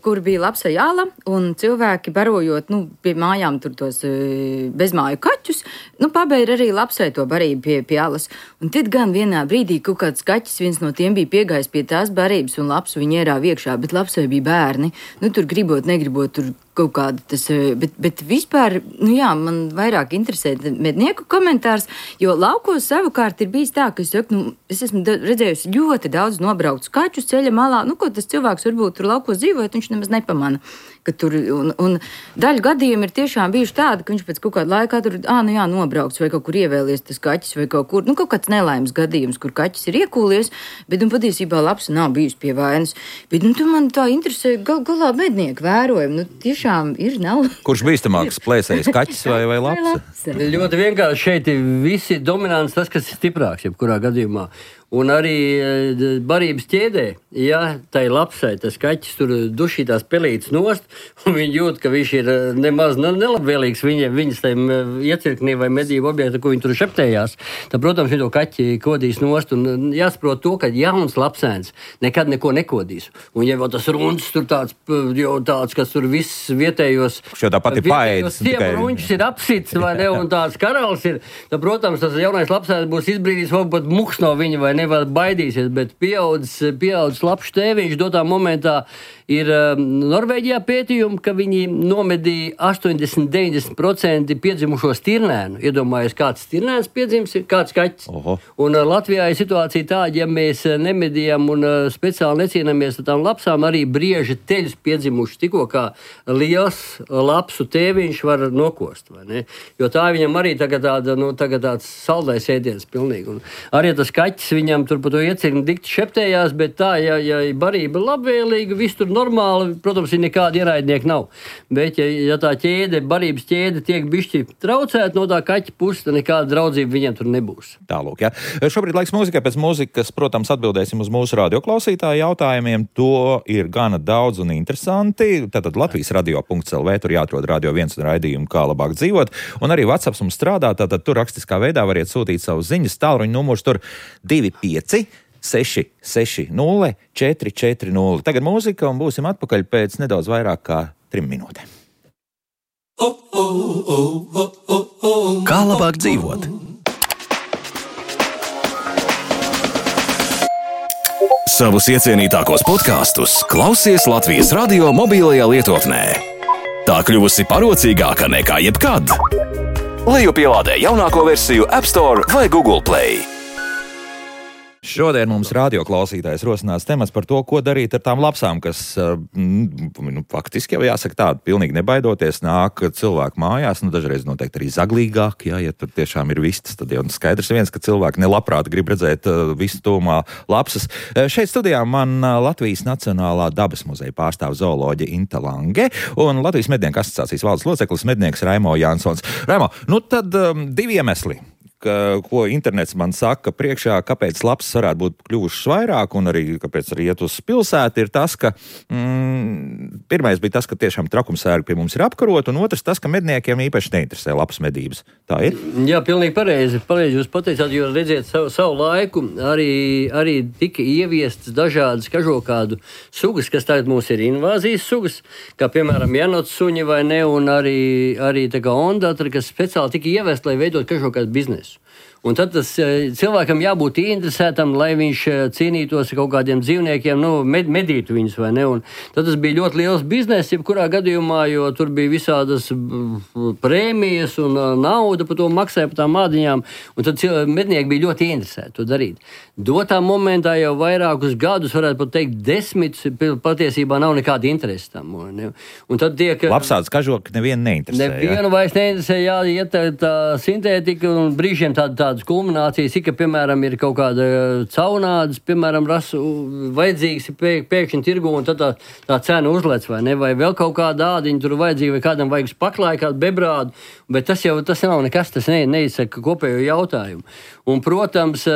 kur bija lapsa jāla, un cilvēki barojot, nu, pie mājām tur tos bezmāju kaķus, nu, pabeira arī lapsai to barību pie, pie alas. Un tad gan vienā brīdī kaut kāds kaķis, viens no tiem bija piegājis pie tās barības, un lapsu viņi ierāva iekšā, bet lapsai bija bērni. Nu, tur gribot, negribot, tur kaut kāda tas, bet, bet vispār, nu jā, man vairāk interesē mednieku komentārs, jo laukos savukārt ir bijis tā, ka es saku, nu, es esmu redzējusi ļoti daudz nobrauktus kaķus ceļa malā, nu, ko tas cilvēks varbūt tur laukos dzīvojot, viņš nemaz nepamana. Ka tur, un, un daļa gadījumi ir tiešām bijuši tādi, ka viņš pēc kaut kāda laika tur, ā, nu jā, nobraukts vai kaut kur ievēlies tas kaķis vai kaut kur, nu, kaut kāds nelaimes gadījums, kur kaķis ir iekūlies, bet, un patiesībā lapsa nav bijusi pie vainas. Bet, nu, tu man tā interesē, gal, galā mednieku vērojumi, nu, tiešām ir, nav. Kurš bīstamāks plēsējis, kaķis vai, vai lapsa? Ļoti vienkārši šeit ir visi dominants tas, kas ir stiprāks, jebkurā gadījumā. Un arī barības ķēdē, ja tai lapsai tas kaķis tur dušītās pelītes nost, un viņi jūt, ka viņš ir nemaz nelabvēlīgs viņa, viņas tai iecirknī vai medību objekta, ko viņi tur šeptējās, tad, protams, viņi to kaķi kodīs nost, un jāsaprot to, ka jauns lapsēns nekad neko nekodīs. Un ja vēl tas runs tur tāds, jau tāds, kas tur viss vietējos, šo tā pati paēdis, ruņķis ir apsits, vai ne, un tāds karalis ir, tad, protams, tas jaunais lapsēns būs izbrīdījis, varbūt muks no viņa, vai nevar baidīsies, bet pieaudzis, pieaudzis labs tēviņš dotā momentā Ir Norvēģijā pētījumi, ka viņi nomedīja astoņdesmit līdz deviņdesmit procenti piedzimušo stirnēnu. Iedomājies, kāds stirnēns piedzims, kāds kaķis. Oho. Un Latvijā ir situācija tāda, ja mēs nemedījam un speciāli necīnamies ar tām lapsām, arī brieži teļus piedzimuši tikko kā liels lapsu tēviņš var nokost. Vai ne? Jo tā viņam arī tagad, tāda, nu, tagad tāds saldais ēdiens pilnīgi. Un arī tas kaķis viņam tur pa to iecirkni dikti šeptējās, bet tā, ja, ja barība ir labvēlīga, viss tur normāli, protams, ir nekāda ienaidnieka nav. Bet, ja, ja tā ķēde, barības ķēde tiek bišķi traucēta no tā kaķa puses, tad nekāda draudzība viņiem tur nebūs. Tālūk, jā. Šobrīd laiks mūzikai, pēc mūzikas, protams, atbildēsim uz mūsu radioklausītāju jautājumiem. To ir gana daudz un interesanti. Tātad Latvijas radio punkts el vē, tur jāatrod Radio viens un raidījumu, kā labāk dzīvot. Un arī WhatsApp mums strādā, tātad tur rakstiskā veidā variet sūtīt savus ziņas. Tālruņa numurs tur divi pieci seši seši nulle četri četri nulle. Tagad mūzika un būsim atpakaļ pēc nedaudz vairāk kā trim minūtēm. Kā labāk dzīvot? Savus iecienītākos podkastus klausies Latvijas radio mobilajā lietotnē. Tā kļuvusi parocīgāka nekā jebkad. Lejupielādē jaunāko versiju App Store vai Google Play. Šodien mums radioklausītājs rosinās temats par to, ko darīt ar tām lapsām, kas, nu, faktiski jau jāsaka tādu, pilnīgi nebaidoties, nāk cilvēku mājās, nu, dažreiz noteikti arī zaglīgāk, jā, ja tur tiešām ir vistas, tad jau skaidrs viens, ka cilvēki nelabprāt grib redzēt uh, visu tūmā lapsas. Šeit studijā man Latvijas Nacionālā dabas muzeja pārstāv zooloģe Inta Lange un Latvijas mednieku asociācijas valdes loceklis mednieks Raimo Jansons. Raimo, nu tad um, divi iemesli. Ka, ko internets man saka priekšā, kāpēc lapsas varētu būt kļuvušas vairāk un arī kāpēc arī iet uz pilsētu, ir tas, ka mm, pirmais bija tas, ka tiešām trakumsērgi pie mums ir apkarot, un otrs tas, ka medniekiem īpaši neinteresē lapas medības. Tā ir? Jā, pilnīgi pareizi. Pareizi jūs pateicāt, jo redziet, savu, savu laiku arī, arī tika ieviestas dažādas kažokādu sugas, kas tagad mums ir invāzijas sugas, kā piemēram janots suņi vai ne, un arī, arī tā kā ondatra, kas speciāli tika ievest, lai veidot kažokādu biznesu. Un tad tas cilvēkam jābūt interesētam, lai viņš cīnītos ar kaut kādiem dzīvniekiem, nu, med, medītu viņus, vai ne? Un tad tas bija ļoti liels bizness, jebkurā gadījumā, jo tur bija visādas prēmijas un nauda par to maksāja, par tām mādiņām, un tad mednieki bija ļoti interesēti to darīt. Dotā momentā jau vairākus gadus, varētu pat teikt, desmit, patiesībā nav nekāda interese tam. Ne? Un tad tiek... Lapsādas kažoki nevienu neinteresē. Nevienu vairs neinteresē, jā, iet tā, tā sintētika un brīžiem tāda, tādas kulminācijas, ka, piemēram, ir kaut kāda caunādas, piemēram, rasu vajadzīgas pē, pēkšņi tirgu, un tad tā, tā cena uzlec, vai ne? Vai vēl kaut kāda ādiņa tur vajadzīga, vai kādam vajag paklāju, kādu bebrādu, bet tas jau tas nav nekas, tas ne, neizsaka kopējo jautājumu. Un, protams,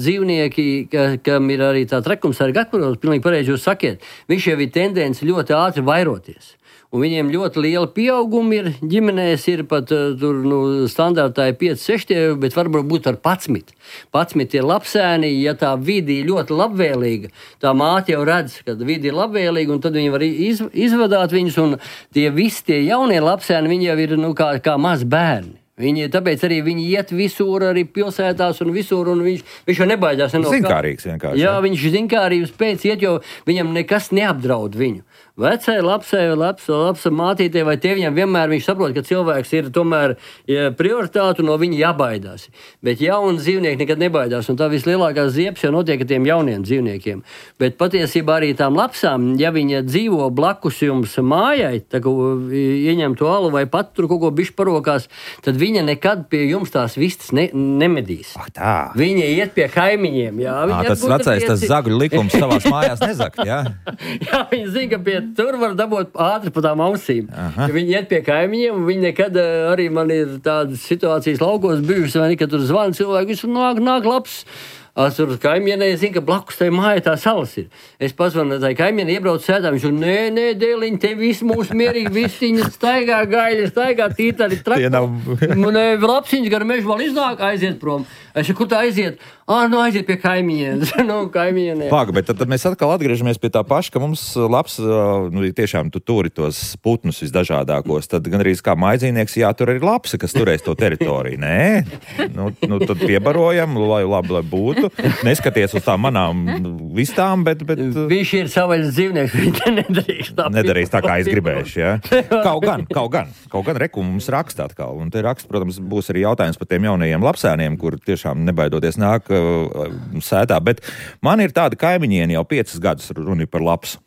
dzīvnieki, ka, kam ir arī tā trakumsarga atparots, pilnīgi pareizi jūs sakiet, viņš jau ir tendence ļoti ātri vairoties. Un viņiem ļoti liela pieauguma ir, ģimenēs ir pat tur, nu, standartā ir pieci, seši, bet varbūt būt ar padsmit. Padsmit ir lapsēni, ja tā vidi ir ļoti labvēlīga, tā māte jau redz, ka vidi ir labvēlīga, un tad viņi var iz, izvadāt viņus, un tie visi tie jaunie lapsēni, viņi jau ir, nu, kā, kā maz bērni. Viņi, tāpēc arī viņi iet visur, arī pilsētās un visur, un viņš, viņš jau nebaidās. Zinkārīgs vienkārši. Jā, viņš zinkārības pēc iet, jo viņam nekas neapdraud viņu. Vecai, lapsai, lapsa, lapsa mātītei vai tēviņam vienmēr viņš saprot, ka cilvēks ir tomēr ja, prioritāte un no viņa jābaidās. Bet jauni dzīvnieki nekad nebaidās, un tā vislielākā ziepes jau notiek ar tiem jauniem dzīvniekiem. Bet patiesībā arī tām lapsām, ja viņa dzīvo blakus jums mājai, tā kā ieņem to alu vai pat tur kaut ko bišķi parokās, tad viņa nekad pie jums tās vistas ne, nemedīs. Ah, tā. Viņa iet pie kaimiņiem. Jā, à, tas vecais, pieci... tas zagļu likums savās mājās nezakt, jā? Jā, viņa zina, ka pie tur var dabūt ātri pa tām ausīm. Ja viņi iet pie kaimiņiem, un viņi nekad arī man ir tādas situācijas laukos bijušas, vai ne, ka tur zvana cilvēki, visu nāk, nāk labs. Tur kaimienē zina, ka blakus tai māja tā salas ir. Es pazvanu tai kaimienē, iebraucu sētā, viņš un nē, nē, dēliņ, te viss mūsu mierīgi, vistiņas staigā, gaļa, staigā, tītari, traktori. Nav... Lapsiņas gar mežu vēl iznāk, aiziet prom. Es saku, kur tā aiziet? Ah, nu aiziet pie kaimiņiem. nu, kaimiņiem. Pāga, bet tad, tad mēs atkal atgriežamies pie tā paša, ka mums labs, nu, tiešām tu turi tos putnus visdažādākos, tad gan arī kā maizīnieks jātur arī lapsa, kas turēs to teritoriju. Nē, nu, nu tad piebarojam, lai labi, lai būtu. Neskaties uz tām manām vistām, bet... bet viņš ir savaļas dzīvnieks, viņš nedarīs tā. Nedarīs tā, kā es gribēšu, jā. Kaut gan, kaut gan, kaut gan reku mums raksta atkal. Un te raksta, protams, būs arī jautājums par tiem jaunajiem lapsēniem, kur tiešām nebaidoties nāk sētā, bet man ir tāda kaimiņieni jau piecas gadus runi par lapsu.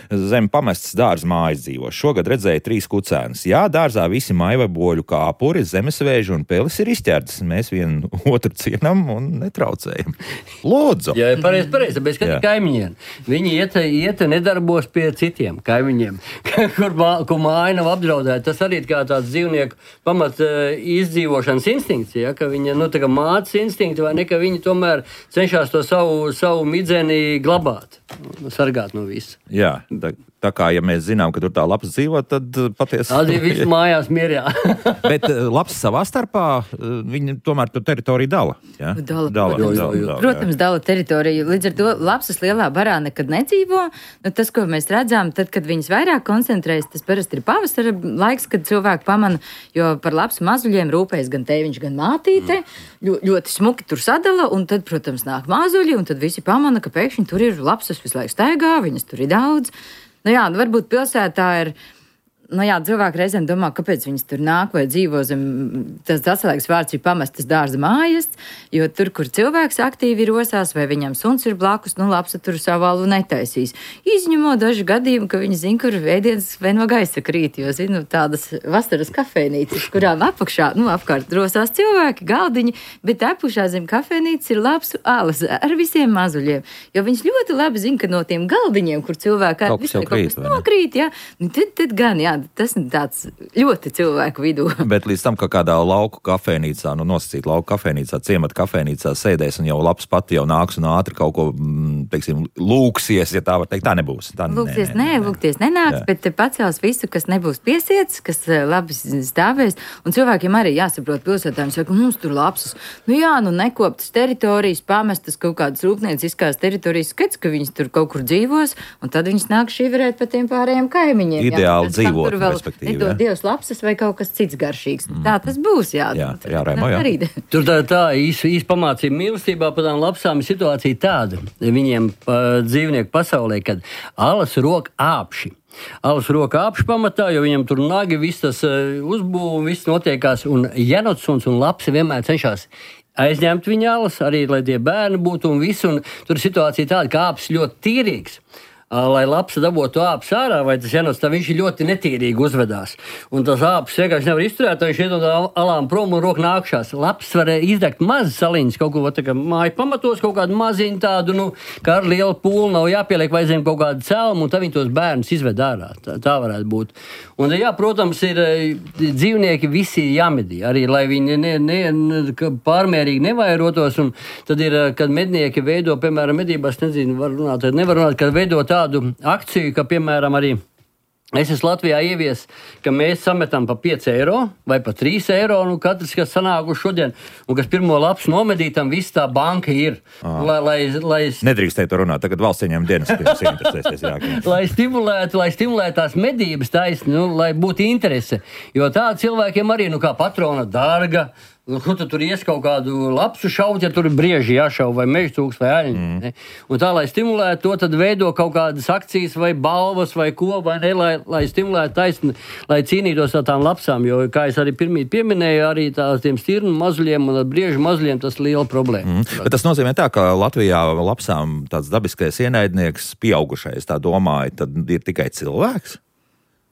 Zem pamestas dārza mājas dzīvo. Šogad redzēju trīs kucēnus. Jā, dārzā visi maivaboļu kāpuri, zemesvēži un pelis ir izķertas. Mēs vienu otru cienam un netraucējam. Lūdzu! Jā, pareizi, pareizi, bet skati kaimiņiem. Viņi iet, iet nedarbos pie citiem kaimiņiem, kur, mā, kur māja nav apdraudēta. Tas arī kā tāds dzīvnieku pamat izdzīvošanas instinkts, ja, ka viņa, nu, tā kā mātes instinkti, vai ne, ka viņi tomēr cenšas to savu, savu midzeni glabāt, sargāt no visu. Jā. Tā, tā kā, ja mēs zinām, ka tur tā lapas dzīvo, tad patiesi... Arī viss mājās mierā. Bet lapas savā starpā, viņi tomēr to teritoriju dala. Ja? Dala, dala, protams, dala, dala, protams dala teritoriju. Līdz ar to lapsas lielā barā nekad nedzīvo. Nu, tas, ko mēs redzam, tad, kad viņas vairāk koncentrējas, tas parasti ir pavasara laiks, kad cilvēki pamana, jo par lapsu mazuļiem rūpējas gan tēviņš, gan mātīte. Ļo, ļoti smuki tur sadala, un tad, protams, nāk mazuļi, un tad visi pamana, ka pēkšņi tur ir lapsas visu laiku staigā, viņas tur ir daudz. Nu jā, varbūt pilsētā ir, nu jā, cilvēki reizēm domā, kāpēc viņas tur nāk vai dzīvo zem, tas atslēgas vārds ir pamestas dārza mājas, jo tur, kur cilvēks aktīvi rosās vai viņam suns ir blakus, nu lapsa tur savu valu netaisīs. Izņemot daži gadījumi, ka viņi zina, kur ēdienas vai no gaisa krīt, jo zinu tādas vasaras kafejnīcas, kurām apakšā, nu apkārt rosās cilvēki, galdiņi, bet apakšā zem kafejnīcas ir lapsu alas ar visiem mazuļiem, jo viņš ļoti labi zina, ka no tiem galdiņiem, kur cilvēki ar visu kaut kas nokrīt, jā, tad, tad gan, jā, tas ir tāds ļoti cilvēku vidū. Bet līdz tam, ka kādā lauku kafejnīcā, nu nosacīt lauku kafejnīcā, ciemata kafejnīcā sēdēs un jau labs pati jau nāks un ātri kaut ko, teiksim, lūksies, ja tā var teikt, tā nebūs. Tā, lūksies, nē, nē, nē, lūgties nenāks, jā. Bet pacels visu, kas nebūs piesiets, kas labi stāvēs, un cilvēkiem arī jāsaprot pilsētājiem, saka, mums tur lapsas. Nu jā, nu nekoptas teritorijas, pamestas kaut kādas rūpnieciskās teritorijas, skats, ka viņas tur kaut kur dzīvos, un tad viņas nāk šīverēt pa tiem pārējiem kaimiņiem. Ideāli jā, dzīvot. Tur vēl nedod Dievs lapsas vai kaut kas cits garšīgs. Mm. Tā tas būs, jā. Jā, jā, Raimo, jā. Tur tā, tā īsti īs pamācība mīlestībā par tām lapsām ir situācija tāda viņiem pa, dzīvnieku pasaulē, kad alas rok āpši. Alas roka āpši pamatā, jo viņam tur nagi, viss tas uh, uzbūv, viss notiekās, un jenotsuns un lapsi vienmēr cenšas aizņemt viņa alas, arī lai tie bērni būtu un viss, un tur situācija tāda, ka āpis ļoti tīrīgs. Lai lapsa dabūtu āpis ārā, vai tas jenots, tā viņš ļoti netīrīgi uzvedās. Un tas āpis vienkārši nevar izturēt, viņš iet no alām prom un roku nākšās. Laps var izdegt mazas saliņas, kaut ko tā kā māju pamatos, kaut kādu maziņu tādu, nu, kā ar lielu pūlu nav jāpieliek, vai zem kaut kādu celmu, un tad viņi tos bērnus izved ārā. Tā, tā varētu būt. Un, jā, protams, ir dzīvnieki visi jāmedī, arī, lai viņi ne, ne, ne, pārmērīgi nevairotos, un tad ir, kad mednieki veido, piemēram, medībās, nezinu, var runāt, nevar runāt, kad veido tā tādu akciju, ka, piemēram, arī es esmu Latvijā ievies, ka mēs sametam pa pieci eiro vai pa trīs eiro, nu katrs, kas sanākuši šodien, un kas pirmo lapsu nomedītam, viss tā banka ir. Lai, lai, lai... Nedrīkstēja to runāt, tagad valsts ieņem dienas, kas interesēsies. lai stimulētu, lai stimulētu tās medības taisni, nu, lai būtu interese, jo tā cilvēkiem arī, nu, kā patrona dārga, nu, tu tur ies kaut kādu lapsu šaut, ja tur ir brieži jāšau, vai mežcūks, vai aļņi. Mm. Un tā, lai stimulētu to, tad veido kaut kādas akcijas, vai balvas, vai ko, vai ne, lai, lai stimulētu taisni, lai cīnītos ar tām lapsām, jo, kā es arī pirmīt pieminēju, arī tās tiem stirnu mazuļiem un briežu mazuļiem tas ir liela problēma. Mm. Bet tas nozīmē tā, ka Latvijā lapsām tāds dabiskais ienaidnieks pieaugušais, tā domāja, tad ir tikai cilvēks?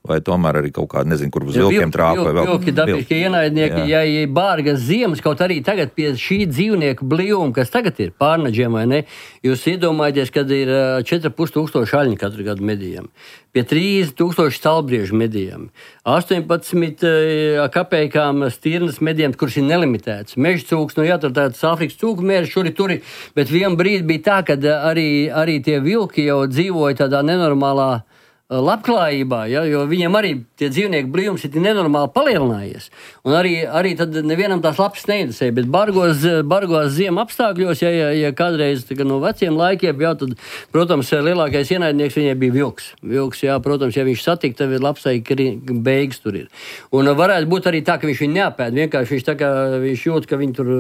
Vai tomēr arī kaut kāda, nezinu, kur uz vilkiem trāpa vai vēl? Vilki, dabiski ienaidnieki, ja ir bārgas ziemas, kaut arī tagad pie šī dzīvnieku blīvuma, kas tagad ir pārnaģiem, vai ne, jūs iedomājaties, kad ir četri ar pus tūkstoši aļņi katru gadu medījam, pie trīs tūkstoši stalbriežu medījam, astoņpadsmit kapeikām stirnas medījam, kuras ir nelimitētas, mežcūks, nu jā, tur tāds Āfrikas cūku mērs, šuri turi, bet vien brīdi bija tā, kad arī, arī tie vilki jau dzīvoja tādā nenormālā labklājībā, ja, jo viņiem arī tie dzīvnieku blīvums ir nenormāli palielinājies. Un arī, arī tad nevienam tās lapas neinteresēja, bet bargos, bargos ziema apstākļos, ja, ja, ja kādreiz tā, no veciem laikiem, jā, tad, protams, lielākais ienaidnieks viņai bija vilks. Vilks, jā, protams, ja viņš satik, tad lapsai beigas tur ir. Un varētu būt arī tā, ka viņš viņu neapēd. Vienkārši viņš tā kā viņš jūt, ka viņi tur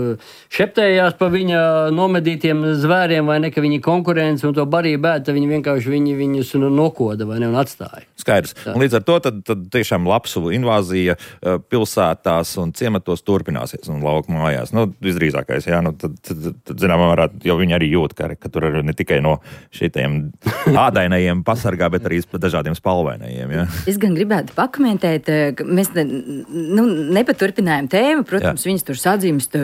šeptējās pa viņa nomedītiem zvēriem, vai ne, ka viņi konkurence un to barību bēd, tad viņi vienkārši viņi, viņus nokoda, vai ne, un atstāja. Skaidrs. Un līdz ar to tad, tad tiešām lapsu invāzija pilsētās un ciematos turpināsies un lauku mājās. Nu, visdrīzākais, jā, nu, tad, tad, tad zinām, varētu, jo viņi arī jūt, ka, ka tur ir ne tikai no šitiem ādainajiem pasargā, bet arī dažādiem spalvainajiem, jā. Es gan gribētu pakomentēt, ka mēs ne, nu, nepaturpinājām tēmu, protams, jā. Viņas tur sadzīmst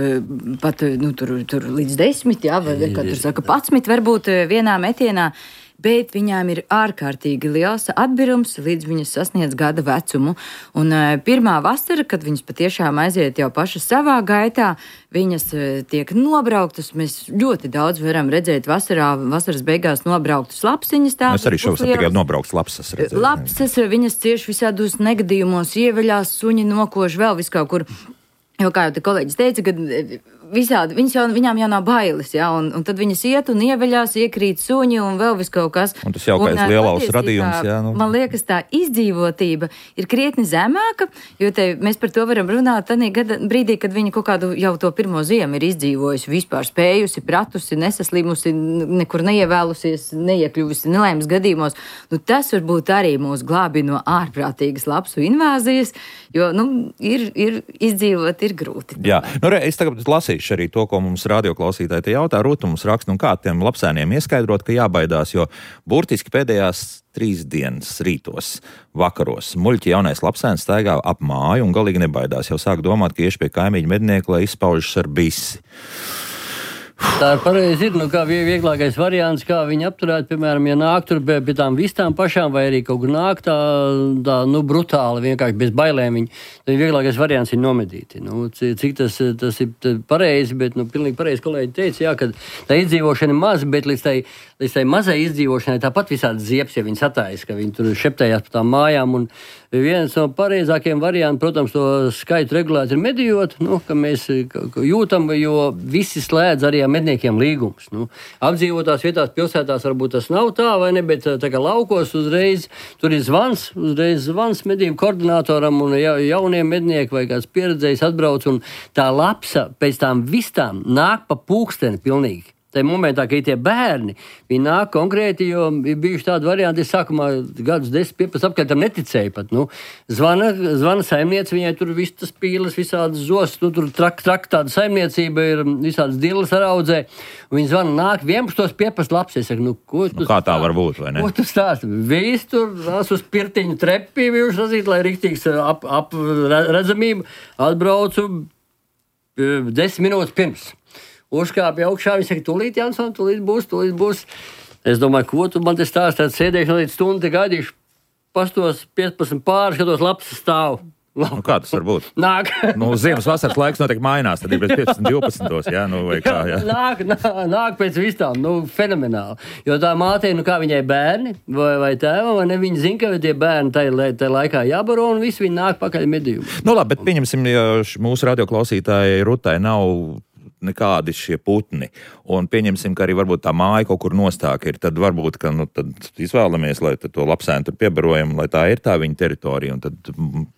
pat, nu, tur, tur līdz desmit, jā, vai, kā tur saka, patsmit varbūt vienā metienā. Bet viņām ir ārkārtīgi liels atbirums, līdz viņas sasniedz gada vecumu. Un uh, pirmā vasara, kad viņas patiešām aiziet jau pašas savā gaitā, viņas uh, tiek nobrauktas. Mēs ļoti daudz varam redzēt vasarā, vasaras beigās nobrauktas lapsiņas. Es arī šovasar tikai nobrauktas lapsas redzēju. Lapsas, viņas cieši visādos negadījumos, ieveļās, suņi nokož vēl vis kaut kur. Jo, kā jau te kolēģis teica, ka visādi, viņas jau, viņām jau nav bailes, ja, un, un tad viņas iet un ieveļās, iekrīt suņi un vēl vis kaut kas. Un tas jaukais lielaus radījums, jā. Nu. Man liekas, tā izdzīvotība ir krietni zemāka, jo te mēs par to varam runāt tādā gada brīdī, kad viņa kaut kādu jau to pirmo ziemu ir izdzīvojusi, vispār spējusi, pratusi, nesaslimusi, nekur neievēlusies, neiekļuvusi nelaimes gadījumos. Nu, tas varbūt arī mūs glābi no ārprātīgas lapsu invāzijas, jo, nu, ir, ir izdzīvot, ir grūti. Jā, nu, re, es tagad lasīšu arī to, ko mums radioklausītāji te jautā. Rūta mums raksta, un kā tiem lapsēniem ieskaidrot, ka jābaidās, jo burtiski pēdējās trīs dienas rītos, vakaros, muļķi jaunais lapsēns staigā ap māju un galīgi nebaidās. Jau sāk domāt, ka iešu pie kaimiņu mednieku, lai izpaužas ar bisi. Tā ir pareizi, ir, nu, kā vieglākais variants, kā viņi apturēt, piemēram, ja nāk tur pie, pie tām vistām pašām, vai arī kaut kur nāk tā, tā nu, brutāli, vienkārši bez bailēm viņi, tad vieglākais variants ir nomedīti. Nu, cik tas, tas ir pareizi, bet, nu, pilnīgi pareizi kolēģi teica, jā, ka tā izdzīvošana ir maza, bet līdz tai, līdz tai mazai izdzīvošanai tāpat visādi ziepes, ja viņi satājas, ka viņi tur šeptējās pa tām mājām, un viens no pareizākiem variantiem, protams, to skaitu regulēt ir medījot, nu, ka mēs jūtam, jo visi slēdz arī ar medniekiem līgumus. Nu, apdzīvotās vietās, pilsētās varbūt tas nav tā, vai ne, bet tā kā laukos uzreiz tur ir zvans, uzreiz zvans medību koordinatoram un ja, jauniem mednieki vai kāds pieredzējis atbrauc, un tā lapsa pēc tām vistām nāk pa pūksteni pilnīgi. Tā momentā, ka ir tie bērni, viņi nāk konkrēti, jo ir bijuši tādi varianti, es sākumā gadus desmit, piecpadsmit apkārt tam neticēju pat, nu, zvana, zvana saimniece, viņai tur viss tas pīles, visādas zos, nu, tur trak, trak tāda saimniecība ir, visādas dillas ar audzē, un viņi zvana nāk vienpadsmit piecpadsmit laps, es saku, nu, ko tu nu, kā tā var būt, vai ne? Ko tu stāsti? Viss tur nās uz pirtiņu trepi, viņš razīt, lai riktīgs ap, ap redzamību, atbraucu desmit minūtes pirms. Uzkāpja augšā, viņš saka, tūlīt, Jansson, tūlīt būs, tūlīt būs. Es domāju, ko tu man te stāsti, tad sēdēšu no līdz stundu, te gaidīšu, pastos piecpadsmit pāri, skatos lapas stāv. Nu, kā tas var būt? Nāk. Nu, ziemas vasaras laiks notiek mainās, tad ir pēc piecpadsmit divpadsmit, jā, nu, vai kā, jā. Nāk, nāk, nāk pēc vistām, nu, fenomenāli. Jo tā mātei, nu, kā viņai bērni, vai, vai tēva, vai ne, viņi zina, ka tie bērni tajā, tajā laikā jābaro, un visi viņi nāk pakaļ medījumu. Nu, labi, bet pieņemsim, ja mūsu radioklausītāji Rutai nav nekādi šie putni, un pieņemsim, ka arī varbūt tā māja kaut kur nostāk ir, tad varbūt, ka, nu, tad izvēlamies, lai tad to lapsēnu tur piebarojam, lai tā ir tā viņa teritorija, un tad...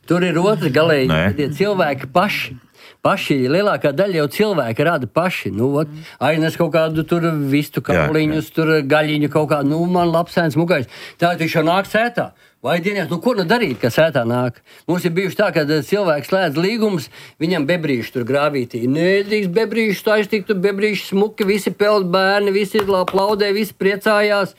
Tur ir otrs galēji, tie cilvēki paši. Paši, lielākā daļa jau cilvēki rada paši, nu, ot, aines kaut kādu tur vistu kauliņus, tur gaļiņu kaut kādu, nu, man lapsēns mugais, tā viņš jau nāk sētā. Vai dienās, nu, ko nu darīt, ka sētā nāk? Mums ir bijuši tā, ka cilvēks slēdz līgumus, viņam bebrīši tur grāvītī. Nedrīkst bebrīši, tā iztiktu bebrīši smuki, visi peld bērni, visi plaudē, visi priecājās,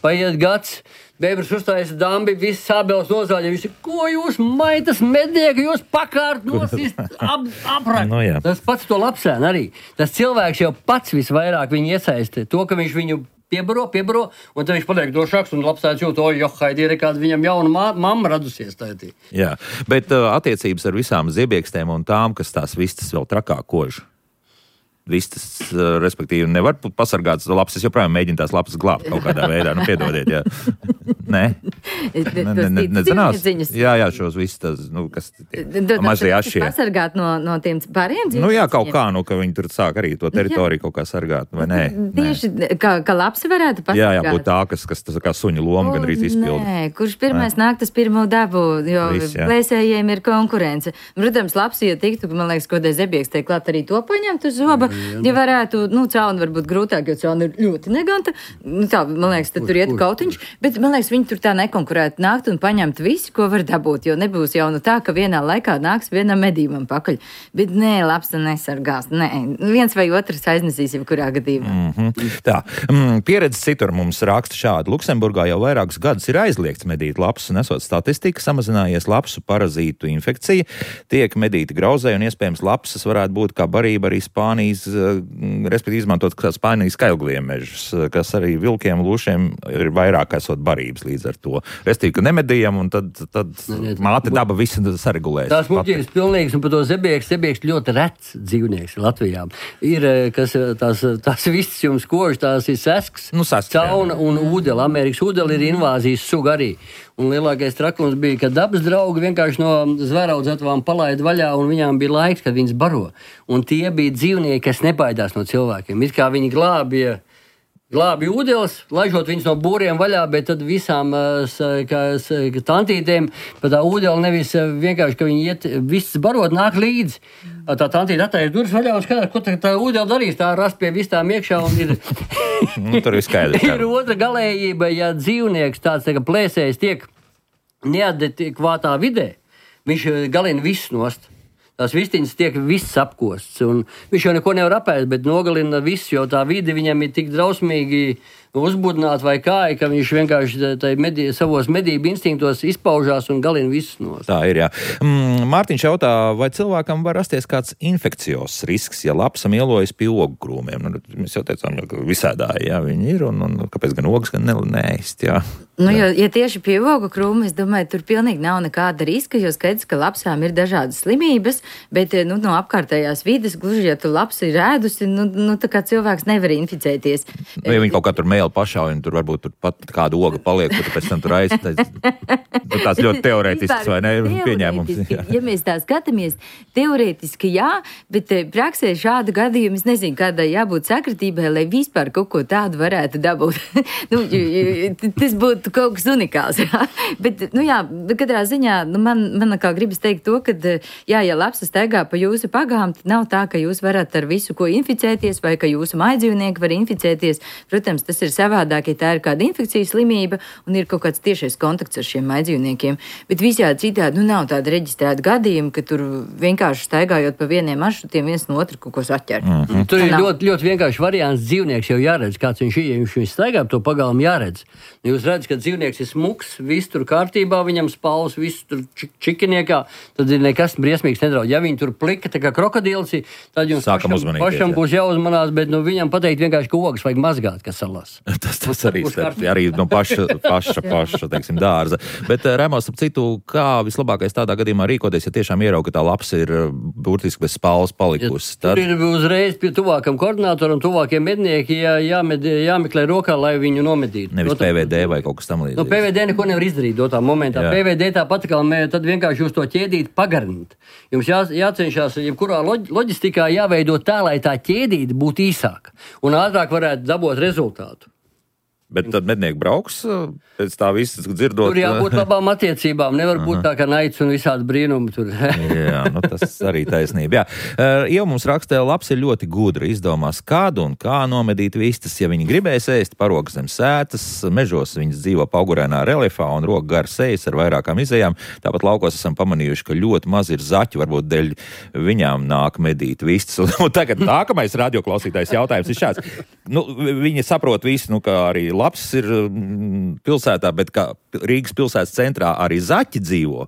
paiet gads. Bebrs uzstājas dambi, visi sābeles nozāļa, visi, ko jūs maitas mednieki, jūs pakārt nosist, ap, aprak. No, tas pats to lapsēn arī. Tas cilvēks jau pats visvairāk viņu iesaista. To, ka viņš viņu piebaro, piebaro, un tad viņš paliek drošāks un labsēdz jūt, oj, jo, haidi, ir kāda viņam jauna mā, mamma radusies tādī. Jā, bet uh, attiecības ar visām ziebiekstēm un tām, kas tās vistas vēl trakāk kož. vistas, respektīvi, nevar pasargāt lapsas, joprojām mēģina tās lapsas glābt kaut kādā veidā. Nu, piedodiet, jā. Nē. Ne, ne, ne, nezinās? Jā, jā, šos visus tas, nu, kas mazie ašie. Pasargāt no, no tiem pāriem dzīvniekiem? Nu jā, kaut kā, nu, ka viņi tur sāk arī to teritoriju kaut kā sargāt, vai nē? Tieši, kā, kā lapsi varētu pasargāt? Jā, jā, būt tā, kas, kas tas kā suņa loma gan arī izpilda. Nē, kurš pirmais nāk, tas pirmo dabu, jo Viss, plēsējiem ir konkurence. Protams, lapsi, ja tiktu, man liekas, kodē zebieks tiek klāt arī to paņemt uz zoba, ja varētu, nu, cauni varbūt grūtāk, jo cauni ir ļoti neganta. Nu, tā, man liekas, tad tur iet kautiņš, bet man liekas, viņi tur tā nekonkurētu nākt un paņemt visi, ko var dabūt, jo nebūs jau nu tā, ka vienā laikā nāks vienam medībam pakaļ. Bet nē, lapsa nesargās, nē. Viens vai otrs aiznesīs jau kurā gadījumā. Mm-hmm. Tā, mm, pieredze citur mums raksta šādi. Luksemburgā jau vairākus gadus ir aizliegts medīt lapsu, nesot statistika, samazinājies lapsu parazītu infekcija, tiek medīti grauzēji un iespējams lapsas varētu būt kā barība arī Spānijas, respektīvi izmantot kā Spānijas skailgliemežus, kas arī vilkiem, lūšiem ir vairāk esot barības līdz ar to. Restīvi, ka nemedījam, un tad, tad māte daba visu saregulēs. Tās muļķības pilnīgas, un par to zebieks, zebieks ļoti rets dzīvnieks Latvijā. Ir, kas tās, tās viss jums kož, tās ir sesks, nu, sasks, cauna un ūdela. Amerikas ūdela ir invāzijas suga arī. Un lielākais trakums bija, ka dabas draugi vienkārši no zvēraudzētavām palaida vaļā, un viņām bija laiks, kad viņas baro. Un tie bija dzīvnieki, kas nebaidās no cilvēkiem. It kā viņi glābja Glābi ūdeles, laižot viņus no būriem vaļā, bet tad visām kā, tantītēm pa tā ūdeli nevis vienkārši, ka viņi iet, viss barot nāk līdzi. Tā tantīte attaisa durvis vaļā un skatās, ko tā, tā ūdeli darīs, tā rast pie vistām iekšā un ir... nu, tur ir skaidrs. Ir otra galējība, ja dzīvnieks tāds tā, plēsējs tiek neadekvātā vidē, viņš galina viss nost. Tās vistiņas tiek viss apkosts, un viņš jau neko nevar apēst, bet nogalina visu, jo tā vide viņam ir tik drausmīgi uzbudināta vai kā, ka viņš vienkārši medī, savos medību instinktos izpaužās un galina visus nos. Tā ir, jā. Mm, Mārtiņš jautā, vai cilvēkam var rasties kāds infekcijos risks, ja lapsa mielojas pie ogu krūmiem? Nu, mēs jau teicām, ka visādā, jā, viņi ir, un, un kāpēc gan ogas, gan neēst, jā. Nu, jo, ja tieši pie ogu krūma, es domāju, tur pilnīgi nav nekāda riska, jo skaidrs, ka lapsām ir dažādas slimības, bet nu, no apkārtējās vides, gluži, ja tu lapsa ir ēdusi, nu, nu tā kā cilvēks nevar inficēties. Nu, ja viņi kaut kā tur mēli pašā, un tur varbūt tur pat kāda oga paliek, kur tu pēc tam tur aiztais. Tur tās ļoti teorētisks, vai ne, pieņēmums. Jā. Ja mēs tā skatāmies, teorētiski jā, bet praksē šādu gadījumu, es nezinu, kādai jābūt sakritībai, lai vispār kaut ko tādu varētu dabūt. nu, tas būtu kaut kas unikāls. Jā. Bet, nu jā, katrā ziņā, nu man, man kā gribas teikt to, ka, jā, ja lapsa staigā pa jūsu pagām, tad nav tā, ka jūs varat ar visu, ko inficēties, vai ka jūsu mājdzīvnieki var inficēties. Protams, tas ir savādāk, ja tā ir kāda infekcijas slimība un ir kaut kāds tiešais kontakts ar šiem mājdzīvniekiem. Bet visādi citādi, nu nav tāda reģistrēta gadījuma, ka tur vienkārši staigājot pa vieniem maršrutiem viens no otru kaut ko saķer. Mm-hmm. Tur ir ļoti, ļoti vienkārši variants. Dzīvnieks jau jāredz, kāds viņš ir, ja viņš, viņš staigā to pagalmu jāredz. Jūs redzat, ka dzīvnieks ir smuks, viss tur kārtībā, viņam spalvas, viss tur čikiniekā, tad ir nekas briesmīgs nedraud. Ja viņi tur plika, tā kā krokodils, tad jums Sākam pašam, pašam būs jāuzmanās, bet nu, viņam pateikt vienkārši, ka ogas vajag mazgāt, kas salās. tas tas arī, starp, arī no paša, paša, paša teiksim, dārza. Bet, Remos, ap citu, kā vislabākais tādā gadījumā rīkoties, ja tiešām ierauga, ka tā lapsa ir burtiski bez spalvas palikusi? Ja, tad... Tur ir uzreiz pie tuvākam koordinātoram, tuvākiem mednieki jā, jāmed, jāmeklē rokā, lai viņu nomedītu. Nevis P V D vai kaut kas tam līdzīgs. Nu, P V D neko nevar izdarīt dotā momentā. Jā. P V D tāpat kā mē, tad vienkārši jūs to ķēdīt pagarināt. Jums jā, jācenšas, jebkurā loģ, loģistikā jāveido tā, lai tā ķēdīte būtu īsāka un ātrāk varētu dabūt rezultātu. Bet tad mednieki brauks pēc tā visas dzirdot. Tur jābūt labām attiecībām. Nevar būt tā, ka naids un visādi brīnumi tur. Jā, nu tas arī taisnība. Jā. Jau mums rakstē, labs ir ļoti gudri izdomās, kādu un kā nomedīt vistas. Ja viņi gribēs ēst parogu zem sētas, mežos viņas dzīvo paugurēnā reliefā un roka gar sejas ar vairākām izējām. Tāpat laukos esam pamanījuši, ka ļoti maz ir zaķi, varbūt dēļ viņām nāk medīt vistas. Un tagad nākamais radioklausītājs jautājums ir šāds. Nu, viņi saprot visu, nu, kā arī labs ir pilsētā, bet kā Rīgas pilsētas centrā arī zaķi dzīvo.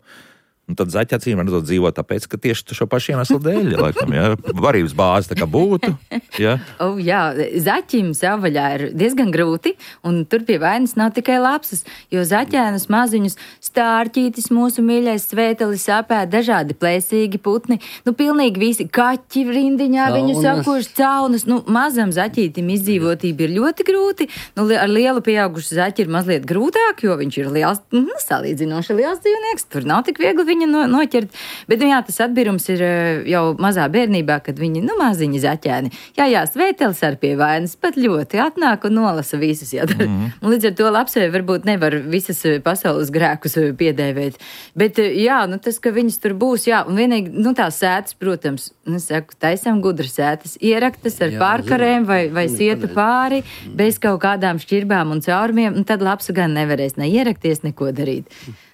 Un tad zaķi acīm redzot dzīvo tāpēc, ka tieši šo pašu iemeslu dēļ, laikam, jā, varības bāze tā kā būtu. Jā, oh, jā zaķim savvaļā ir diezgan grūti, un tur pie vainas nav tikai lapsas, jo zaķēnus maziņus stārķītis, mūsu mīļais svētelis apēd, dažādi plēsīgi putni, nu pilnīgi visi kaķi rindiņā, viņu sakoši caunas, nu mazam zaķītim izdzīvotība ir ļoti grūti, nu ar lielu pieaugušu zaķi ir mazliet grūtāk, jo viņš ir liels, nu, salīdzinoši liels dzīvnieks, tur nav tik viegli viņa no, noķert, bet, nu jā, tas atbirums ir jau mazā bērnībā, kad viņi, nu, maziņi zaķēni. Jā, jā, svētelis ar pie vainas pat ļoti atnāk un nolasa visus, jā. Mm. Un līdz ar to lapsē varbūt nevar visas pasaules grēkus piedēvēt. Bet, jā, nu, tas, ka viņas tur būs, jā, un vienīgi, nu, tās sētas, protams, nu, saku, taisam gudras sētas, ieraktas ar jā, pārkarēm vai, vai sietu pāri, bez kaut kādām šķirbām un caurumiem, un tad lapsa gan nevarēs ne ierakties, neko darīt.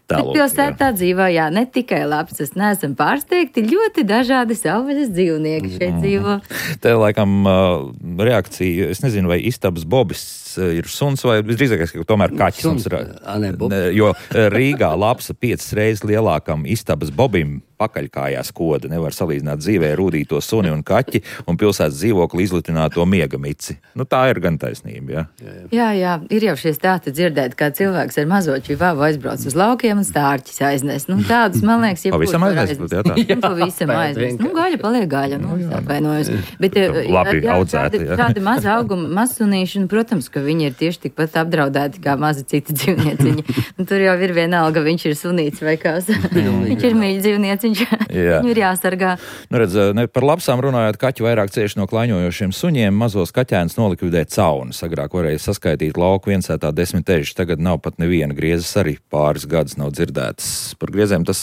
Bet pilsētā dzīvo, jā, ne tikai lapsas, neesam pārsteigti, ļoti dažādi savvaļas dzīvnieki šeit dzīvo. Te, laikam, reakcija, es nezinu, vai istabas bobis ir suns vai visdrīzākais, ka tomēr kaķis. Suns, a, ne, jo Rīgā lapsa piecas reizes lielākam istabas bobim pakaļkājās koda, nevar salīdzināt dzīvē rūdīto suni un kaķi un pilsētas dzīvokli izlitināto miega mici. Nu, tā ir gan taisnība, jā. Jā, jā, ir jau šie stāti dzirdēt, kā cilvēks ar mazo čivavu aizbrauc uz laukiem un stārķis aiznes. Nu, tādus, man liekas, ja pavisam aiznes. Jā, tā. Nu, pavisam aiznes. Nu, gaļa paliek gaļa, nu, atvainojos. Bet, labi jā, audzēti, tādi, tādi maza auguma mazsunīši, un, protams, ka viņi ir tieši tikpat apdraudēti kā mazi citi dzīvnieciņi. Un tur jau ir vienalga, viņš ir sunīts vai kās. Viņš ir mīļi dzīvnieciņš. Viņu ir jāsargā. Nu, redz, ne par lapsām runājot, kaķi vairāk cieši no klaņojošiem suņiem, mazos kaķēnus nolikvidē caunas. Agrāk varēja saskaitīt lauku viensētā desmit ežus, tagad nav pat neviena griezes, arī pāris gadus nav dzirdētas. Par griezēm tas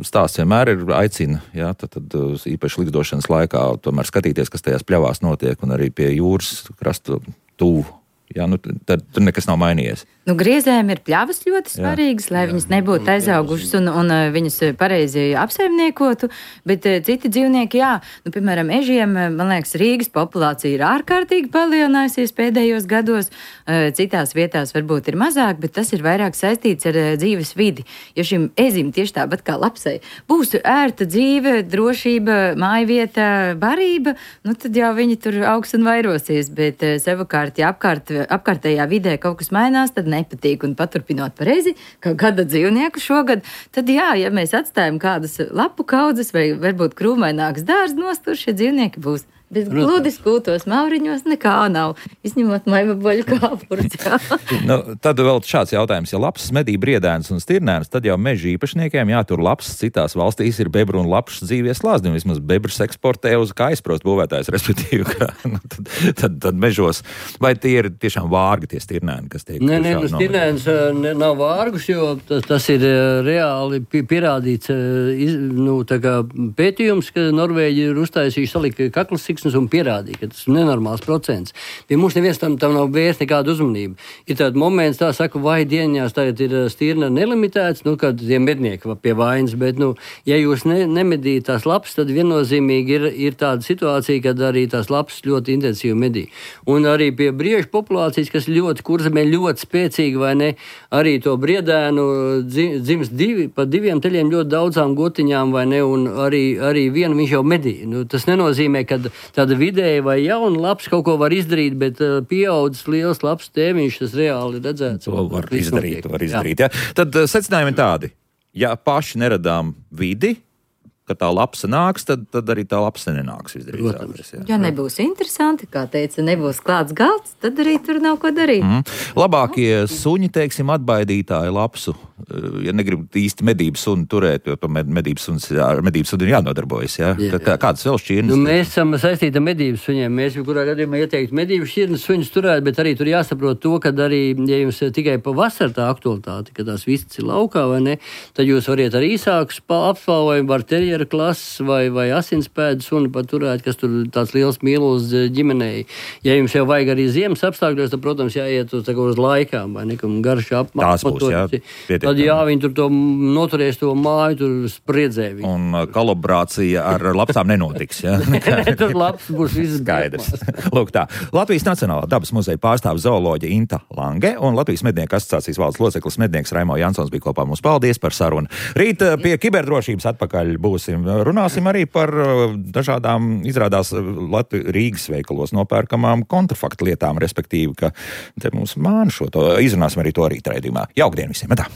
stāsts vienmēr ir aicina, jā, tad, tad īpaši likdošanas laikā tomēr skatīties, kas tajās pļavās notiek, un arī pie jūras krasta tuvu. Jā, nu, tad tur nekas nav mainījies. Nu, griezēm ir pļavas ļoti svarīgas, jā, lai jā, viņas nebūtu aizaugušas un, un viņas pareizi apsaimniekotu, bet citi dzīvnieki, jā, nu, piemēram, ežiem, man liekas, Rīgas populācija ir ārkārtīgi palielinājusies pēdējos gados, citās vietās varbūt ir mazāk, bet tas ir vairāk saistīts ar dzīves vidi, jo šim ezim tieši tāpat kā lapsai būs ērta dzīve, drošība, mājvieta, barība, nu, tad jau viņi tur augs un vairosies, bet savukārt, ja apkārt, apkārtējā vidē kaut kas mainās, tad nepatīk un paturpinot pareizi, kā gada dzīvnieku šogad, tad jā, ja mēs atstājam kādas lapu kaudzes vai varbūt krūmaināks dārsts nostur, šie dzīvnieki būs. Bez gludi skūtos mauriņos nekā nav, izņemot maivaboļu kāpurus. Nu, tad vēl šāds jautājums. Ja lapsas medī briedēnus un stirnēnus, tad jau meža īpašniekiem jātur lapsas. Citās valstīs ir bebru un lapšas dzīvies slāzdi, un vismaz bebrus eksportē uz kā aizprost būvētājs, respektīvi, ka, nu, tad, tad, tad mežos. Vai tie ir tiešām vārgi, tie stirnēni, kas tiek? Nē, nē, stirnēns nav vārgus, jo tas, tas ir reāli pierādīts nu, tā kā pētījums, ka Norvēģi ir uztaisījuši salika kaklas un pierādīja, ka tas ir nenormāls procents. Pie mums neviens tam, tam nav vērst nekādu uzmanību. Ir tāds moments, tā saka, vai dienās tagad ir stirna nelimitēts, nu, kad tie mednieki pie vainas, bet, nu, ja jūs ne, nemedījat tās lapas, tad viennozīmīgi ir, ir tāda situācija, kad arī tās lapas ļoti intensīvi medī. Un arī pie briežu populācijas, kas ļoti kurzemē ļoti spēcīgi, vai ne, arī to briedēnu dzims divi, pa diviem teļiem ļoti daudzām gotiņām, vai ne, un arī, arī vienu viņš jau medī. Nu, tas nenozīmē, ka tāda vidēja vai jauna labs kaut ko var izdarīt, bet uh, pieaudzis liels labs tēmiņš, tas reāli redzēts. To var izdarīt, var izdarīt, jā. jā. Tad uh, secinājumi tādi. Ja paši neradām vidi, ka tā lapsa nāks, tad, tad arī tā lapsa nenāks izdarīt. Ja nebūs interesanti, kā teica, nebūs klāts galds, tad arī tur nav ko darīt. Mm. Labākie suņi, teiksim, atbaidītāji lapsu, ja negrib īsti medības suni turēt, jo to medības suns, ar medības suni ir jānodarbojas, jā? Jā, jā. Kādas vēl šķirnes? Nu, mēs esam saistīti ar medības suņiem. Mēs kurā gadījumā ieteiktu medības šķirnes suņus turēt, bet arī tur jāsaprot to, ka arī, ja jums tikai pa vasaru tā aktualitāte, ka tās vistas ir laukā vai ne, tad jūs variet ar īsākus apspalvojumu, var terjeri aktiera klases vai, vai asinspēdas suni paturēt, kas tur tāds liels mīlus ģimenei. Ja jums jau vajag arī ziemas apstākļos, tad, protams, jāiet uz, uz laikām, vai nekam garši apmatoties. Tad jā, viņi tur to noturēs to māju, tur spriedzē viņu. Un kolaborācija ar lapsām nenotiks, jā? Tur labs būs viss skaidrs. Lūk tā. Latvijas Nacionālā dabas muzeja pārstāv zooloģe Inta Lange un Latvijas mednieku asociācijas valdes loceklis mednieks Raimo Jansons bija kopā mums. Paldies par sarunu. Rīt pie kiberdrošības atpakaļ būsim. Runāsim arī par dažādām, izrādās Latvi, Rīgas veikalos nopērkamām kontrafaktu lietām, respektīvi, ka te mums māna šo to. Izrunāsim arī to rīt raidījumā. Jaukdien visiem! Tā.